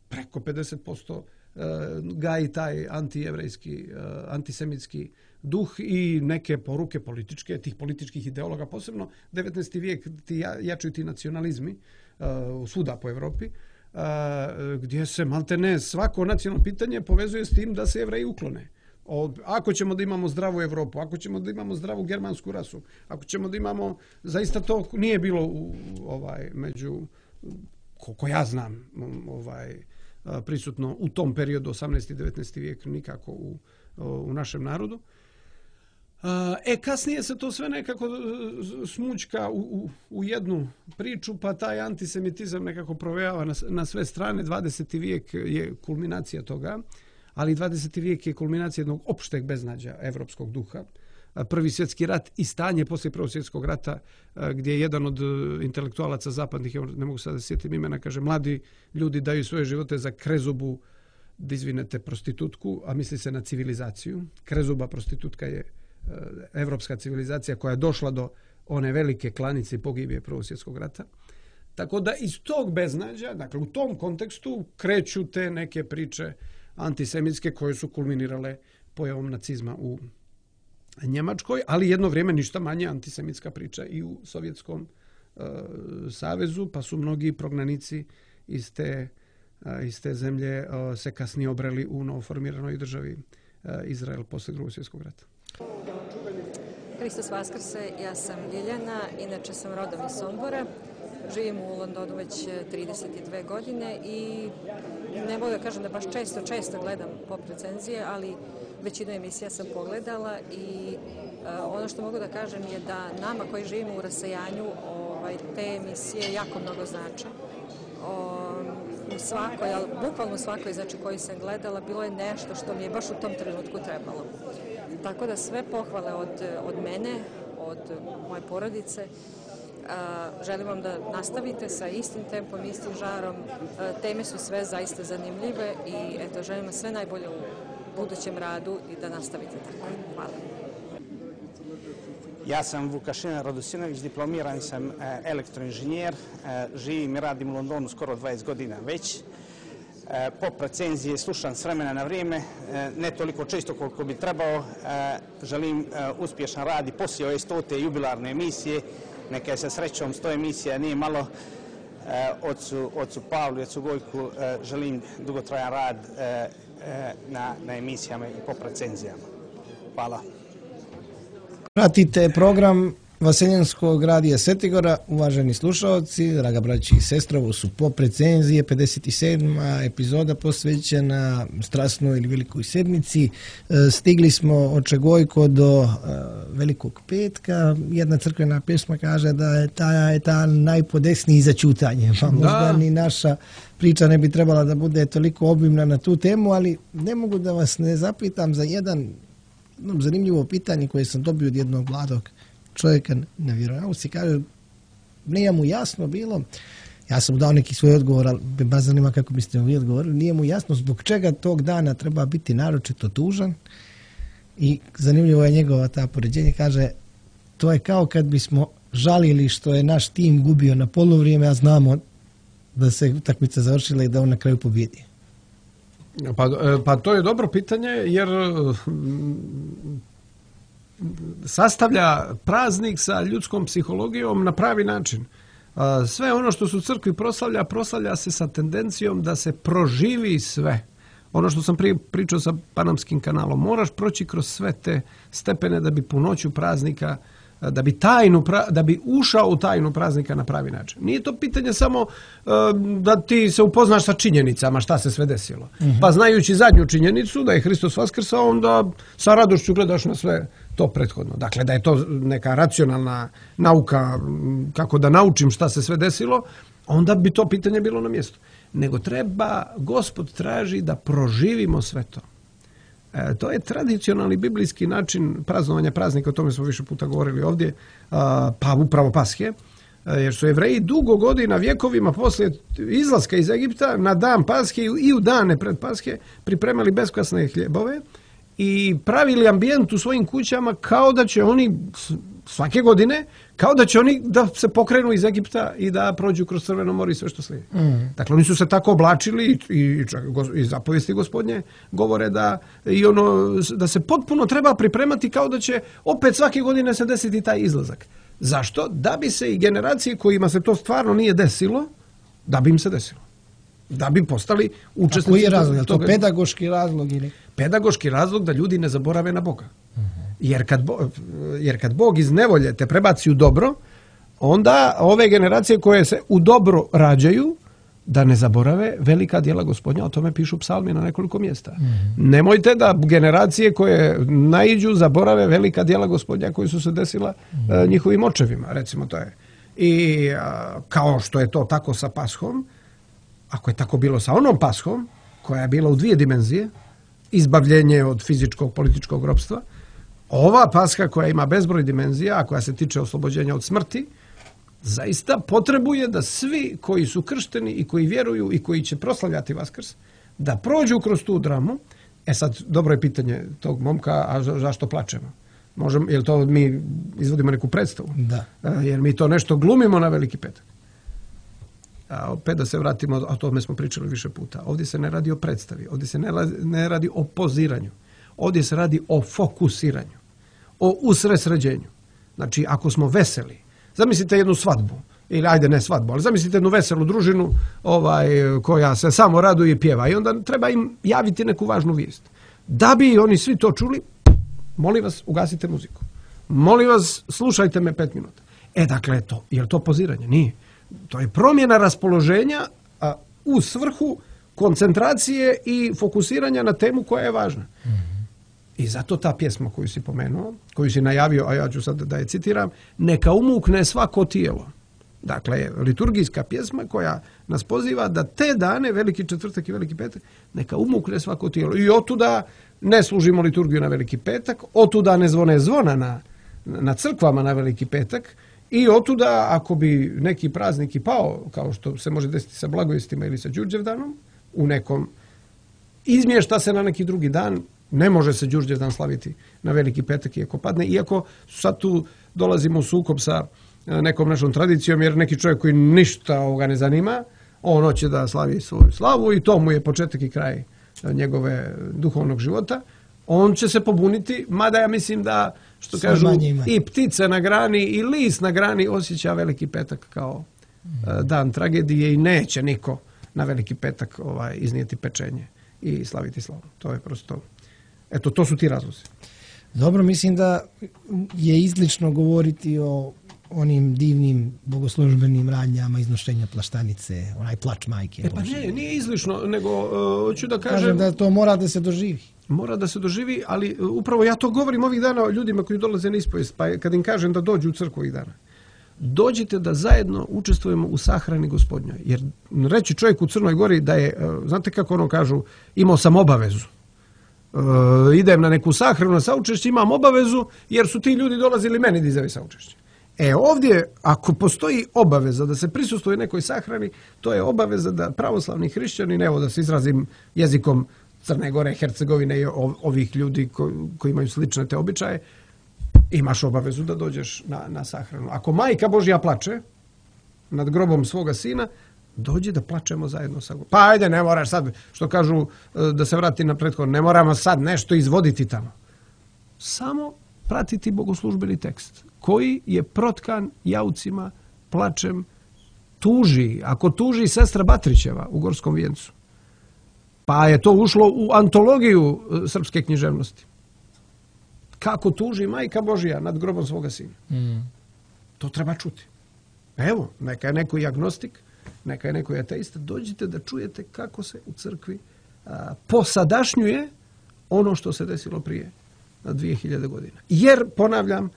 preko 50% gaji taj antijevrejski, antisemitski duh i neke poruke političke, tih političkih ideologa, posebno 19. vijek jačuju ti nacionalizmi svuda po Evropi, gdje se maltene svako nacionalno pitanje povezuje s tim da se Jevreji uklone. Ako ćemo da imamo zdravu Evropu, ako ćemo da imamo zdravu germansku rasu, ako ćemo da imamo, zaista to nije bilo među, koliko ja znam, prisutno u tom periodu 18. i 19. vijek nikako u našem narodu. Kasnije se to sve nekako smućka u jednu priču, pa taj antisemitizam nekako provejava na sve strane. 20. vijek je kulminacija toga, ali 20. vijek je kulminacija jednog opšteg beznađa evropskog duha. Prvi svjetski rat i stanje poslije Prvog svjetskog rata, gdje je jedan od intelektualaca zapadnih, ne mogu sada sjetiti imena, kaže mladi ljudi daju svoje živote za krezubu, da izvinete, prostitutku, a misli se na civilizaciju. Krezuba prostitutka je evropska civilizacija koja je došla do one velike klanice i pogibije Prvog svjetskog rata. Tako da iz tog beznađa, dakle u tom kontekstu kreću te neke priče antisemitske koje su kulminirale pojavom nacizma u Njemačkoj, ali jedno vrijeme ništa manje antisemitska priča i u Sovjetskom savezu, pa su mnogi prognanici iz te zemlje se kasnije obreli u novoformiranoj državi Izrael poslije Drugog svjetskog rata. Hristos Vaskrse, ja sam Ljiljana, inače sam rodom iz Sombora. Živim u Londonu već 32 godine i ne mogu da kažem da baš često gledam pop recenzije, ali većinu emisija sam pogledala i ono što mogu da kažem je da nama koji živimo u rasejanju te emisije jako mnogo znače. U svakoj, ali bukvalno u svakoj koju sam gledala, bilo je nešto što mi je baš u tom trenutku trebalo. Tako da sve pohvale od mene, od moje porodice. Želim vam da nastavite sa istim tempom, istim žarom. Teme su sve zaista zanimljive i eto, želim vam sve najbolje u budućem radu i da nastavite tako. Hvala. Ja sam Vukašina Radosinović, diplomirani sam elektroinženjer, živim i radim u Londonu skoro 20 godina već. Pop recenzije slušam s vremena na vrijeme, ne toliko često koliko bi trebao. Želim uspješan rad i poslije ove 100. jubilarne emisije. Neka je sa srećom 100 emisija, nije malo. Ocu Pavlu i ocu Gojku želim dugotrajan rad na emisijama i pop recenzijama. Hvala. Pratite program Vaseljenskog radija Setigora, uvaženi slušalci, draga braći i sestre, ovo su pop recenzije, 57. epizoda posvećena strasnoj ili velikoj sedmici. Stigli smo od Čegojko do Velikog petka. Jedna crkvena pjesma kaže da je ta najpodesniji za čutanje. Pa možda ni naša priča ne bi trebala da bude toliko obimna na tu temu, ali ne mogu da vas ne zapitam za jedno zanimljivo pitanje koje sam dobio od jednog mladog čovjeka na vjeronauci. Kaže, nije mu jasno bilo, ja sam mu dao neki svoj odgovor, ali me baš zanima kako biste vi odgovorili, nije mu jasno zbog čega tog dana treba biti naročito tužan i zanimljivo je njegova ta poređenje, kaže, to je kao kad bismo žalili što je naš tim gubio na poluvrijeme, a znamo da se utakmica završila i da on na kraju pobjedi. Pa to je dobro pitanje, jer sastavlja praznik sa ljudskom psihologijom na pravi način. Sve ono što se u crkvi proslavlja se sa tendencijom da se proživi sve. Ono što sam prije pričao sa Panamskim kanalom, moraš proći kroz sve te stepene da bi punoću praznika, da bi ušao u tajnu praznika na pravi način. Nije to pitanje samo da ti se upoznaš sa činjenicama šta se sve desilo. Pa znajući zadnju činjenicu da je Hristos vaskrsao, onda sa radošću gledaš na sve to prethodno. Dakle, da je to neka racionalna nauka kako da naučim šta se sve desilo, onda bi to pitanje bilo na mjestu. Nego Gospod traži da proživimo sve to. To je tradicionalni biblijski način praznovanja praznika, o tome smo više puta govorili ovdje, pa upravo Paske, jer su Jevreji dugo godina, vjekovima poslije izlaska iz Egipta, na dan Paske i u dane pred Paske pripremali beskvasne hljebove i pravili ambijent u svojim kućama kao da će oni svake godine, kao da će oni da se pokrenu iz Egipta i da prođu kroz Crveno more i sve što slijedi. Dakle, oni su se tako oblačili i zapovijesti Gospodnje govore da se potpuno treba pripremati kao da će opet svake godine se desiti taj izlazak. Zašto? Da bi se i generacije kojima se to stvarno nije desilo, da bi im se desilo. Da bi postali učesnici. Koji je razlog? Je to pedagoški razlog ili? Pedagoški razlog da ljudi ne zaborave na Boga. Jer kad Bog iz nevolje te prebaci u dobro, onda ove generacije koje se u dobro rađaju, da ne zaborave velika djela Gospodnja, o tome pišu psalmi na nekoliko mjesta. Nemojte da generacije koje naiđu zaborave velika djela Gospodnja koji su se desila njihovim očevima, recimo to je. I kao što je to tako sa Pashom, ako je tako bilo sa onom Pashom, koja je bila u 2 dimenzije, izbavljenje od fizičkog političkog ropstva, ova Paska koja ima bezbroj dimenzija, a koja se tiče oslobođenja od smrti, zaista potrebuje da svi koji su kršteni i koji vjeruju i koji će proslavljati Vaskrs, da prođu kroz tu dramu. Sad, dobro je pitanje tog momka, a zašto plačemo? Jel to mi izvodimo neku predstavu? Da. Jer mi to nešto glumimo na Veliki petak. A opet da se vratimo, a o tome smo pričali više puta. Ovdje se ne radi o predstavi, ovdje se ne radi o poziranju. Ovdje se radi o fokusiranju, o usredsređenju. Znači, ako smo veseli, zamislite jednu svadbu, ili ajde ne svadbu, ali zamislite jednu veselu družinu koja se samo raduje i pjeva i onda treba im javiti neku važnu vijest. Da bi oni svi to čuli, molim vas, ugasite muziku. Molim vas, slušajte me 5 minuta. Dakle, je li to poziranje? Nije. To je promjena raspoloženja u svrhu koncentracije i fokusiranja na temu koja je važna. I zato ta pjesma koju si pomenuo, koju si najavio, a ja ću sad da je citiram, neka umukne svako tijelo. Dakle, liturgijska pjesma koja nas poziva da te dane, Veliki četvrtak i Veliki petak, neka umukne svako tijelo. I otuda ne služimo liturgiju na Veliki petak, otuda ne zvone zvona na crkvama na Veliki petak i otuda ako bi neki praznik i pao, kao što se može desiti sa Blagojestima ili sa Đurđevdanom, u nekom izmješta se na neki drugi dan, ne može se Đurđevdan slaviti na Veliki petak iako padne, iako sad tu dolazimo u sukob sa nekom našom tradicijom, jer neki čovjek koji ništa ovoga ne zanima, on hoće da slavi svoju slavu i to mu je početak i kraj njegove duhovnog života, on će se pobuniti, mada ja mislim da, što kažu, i ptice na grani i list na grani osjeća Veliki petak kao dan tragedije i neće niko na Veliki petak iznijeti pečenje i slaviti slavu. To je prosto, eto, to su ti razlozi. Dobro, mislim da je izlično govoriti o onim divnim bogoslužbenim radnjama iznošenja plaštanice, onaj plač majke. Pa nije izlično, nego hoću da kažem da to mora da se doživi. Mora da se doživi, ali upravo ja to govorim ovih dana o ljudima koji dolaze na ispovijest, pa kad im kažem da dođu u crkvu ovih dana. Dođite da zajedno učestvujemo u sahrani Gospodnjoj. Jer reći čovjek u Crnoj Gori da je, znate kako ono kažu, imao sam obavezu. Idem na neku sahranu na saučešće, imam obavezu jer su ti ljudi dolazili meni da izjave saučešće. Ovdje, ako postoji obaveza da se prisustvuje nekoj sahrani, to je obaveza da pravoslavni hrišćani, evo da se izrazim jezikom Crne Gore, Hercegovine i ovih ljudi koji imaju slične te običaje, imaš obavezu da dođeš na sahranu. Ako Majka Božja plače nad grobom svoga sina, dođi da plačemo zajedno sa grobom. Pa ajde, ne moraš sad, što kažu, da se vrati na prethodno, ne moramo sad nešto izvoditi tamo. Samo pratiti bogoslužbeni tekst koji je protkan jaucima, plačem, tuži. Ako tuži sestra Batrićeva u Gorskom vijencu, pa je to ušlo u antologiju srpske književnosti. Kako tuži Majka Božja nad grobom svoga sina. To treba čuti. Evo, neka je neko i agnostik, neka je neko i ateista, dođite da čujete kako se u crkvi posadašnjuje ono što se desilo prije 2000 godina. Jer, ponavljam,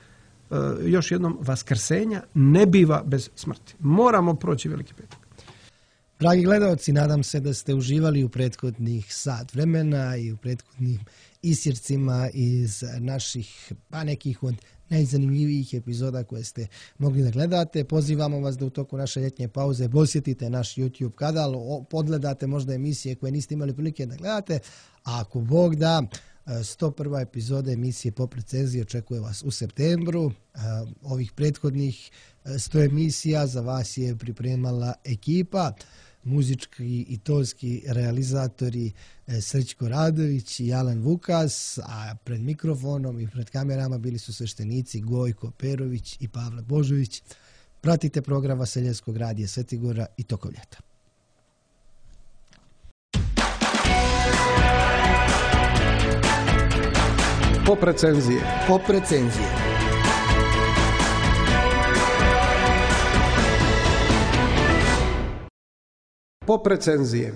još jednom, vaskrsenja ne biva bez smrti. Moramo proći Veliki petak. Dragi gledalci, nadam se da ste uživali u prethodnih sat vremena i u prethodnim isjecima iz naših, pa nekih od najzanimljivijih epizoda koje ste mogli da gledate. Pozivamo vas da u toku naše ljetnje pauze posjetite naš YouTube kanal, podgledate možda emisije koje niste imali prilike da gledate, a ako Bog da, 101. epizoda emisije Pop recenzije očekuje vas u septembru. Ovih prethodnih 100 emisija za vas je pripremala ekipa, muzički i tonski realizatori Srećko Radović i Alan Vukas, a pred mikrofonom i pred kamerama bili su sveštenici Gojko Perović i Pavle Božović. Pratite program Vaseljenskog radija Svetigora i tokom ljeta. Pop recenzije. Pop recenzije. Pop recenzije.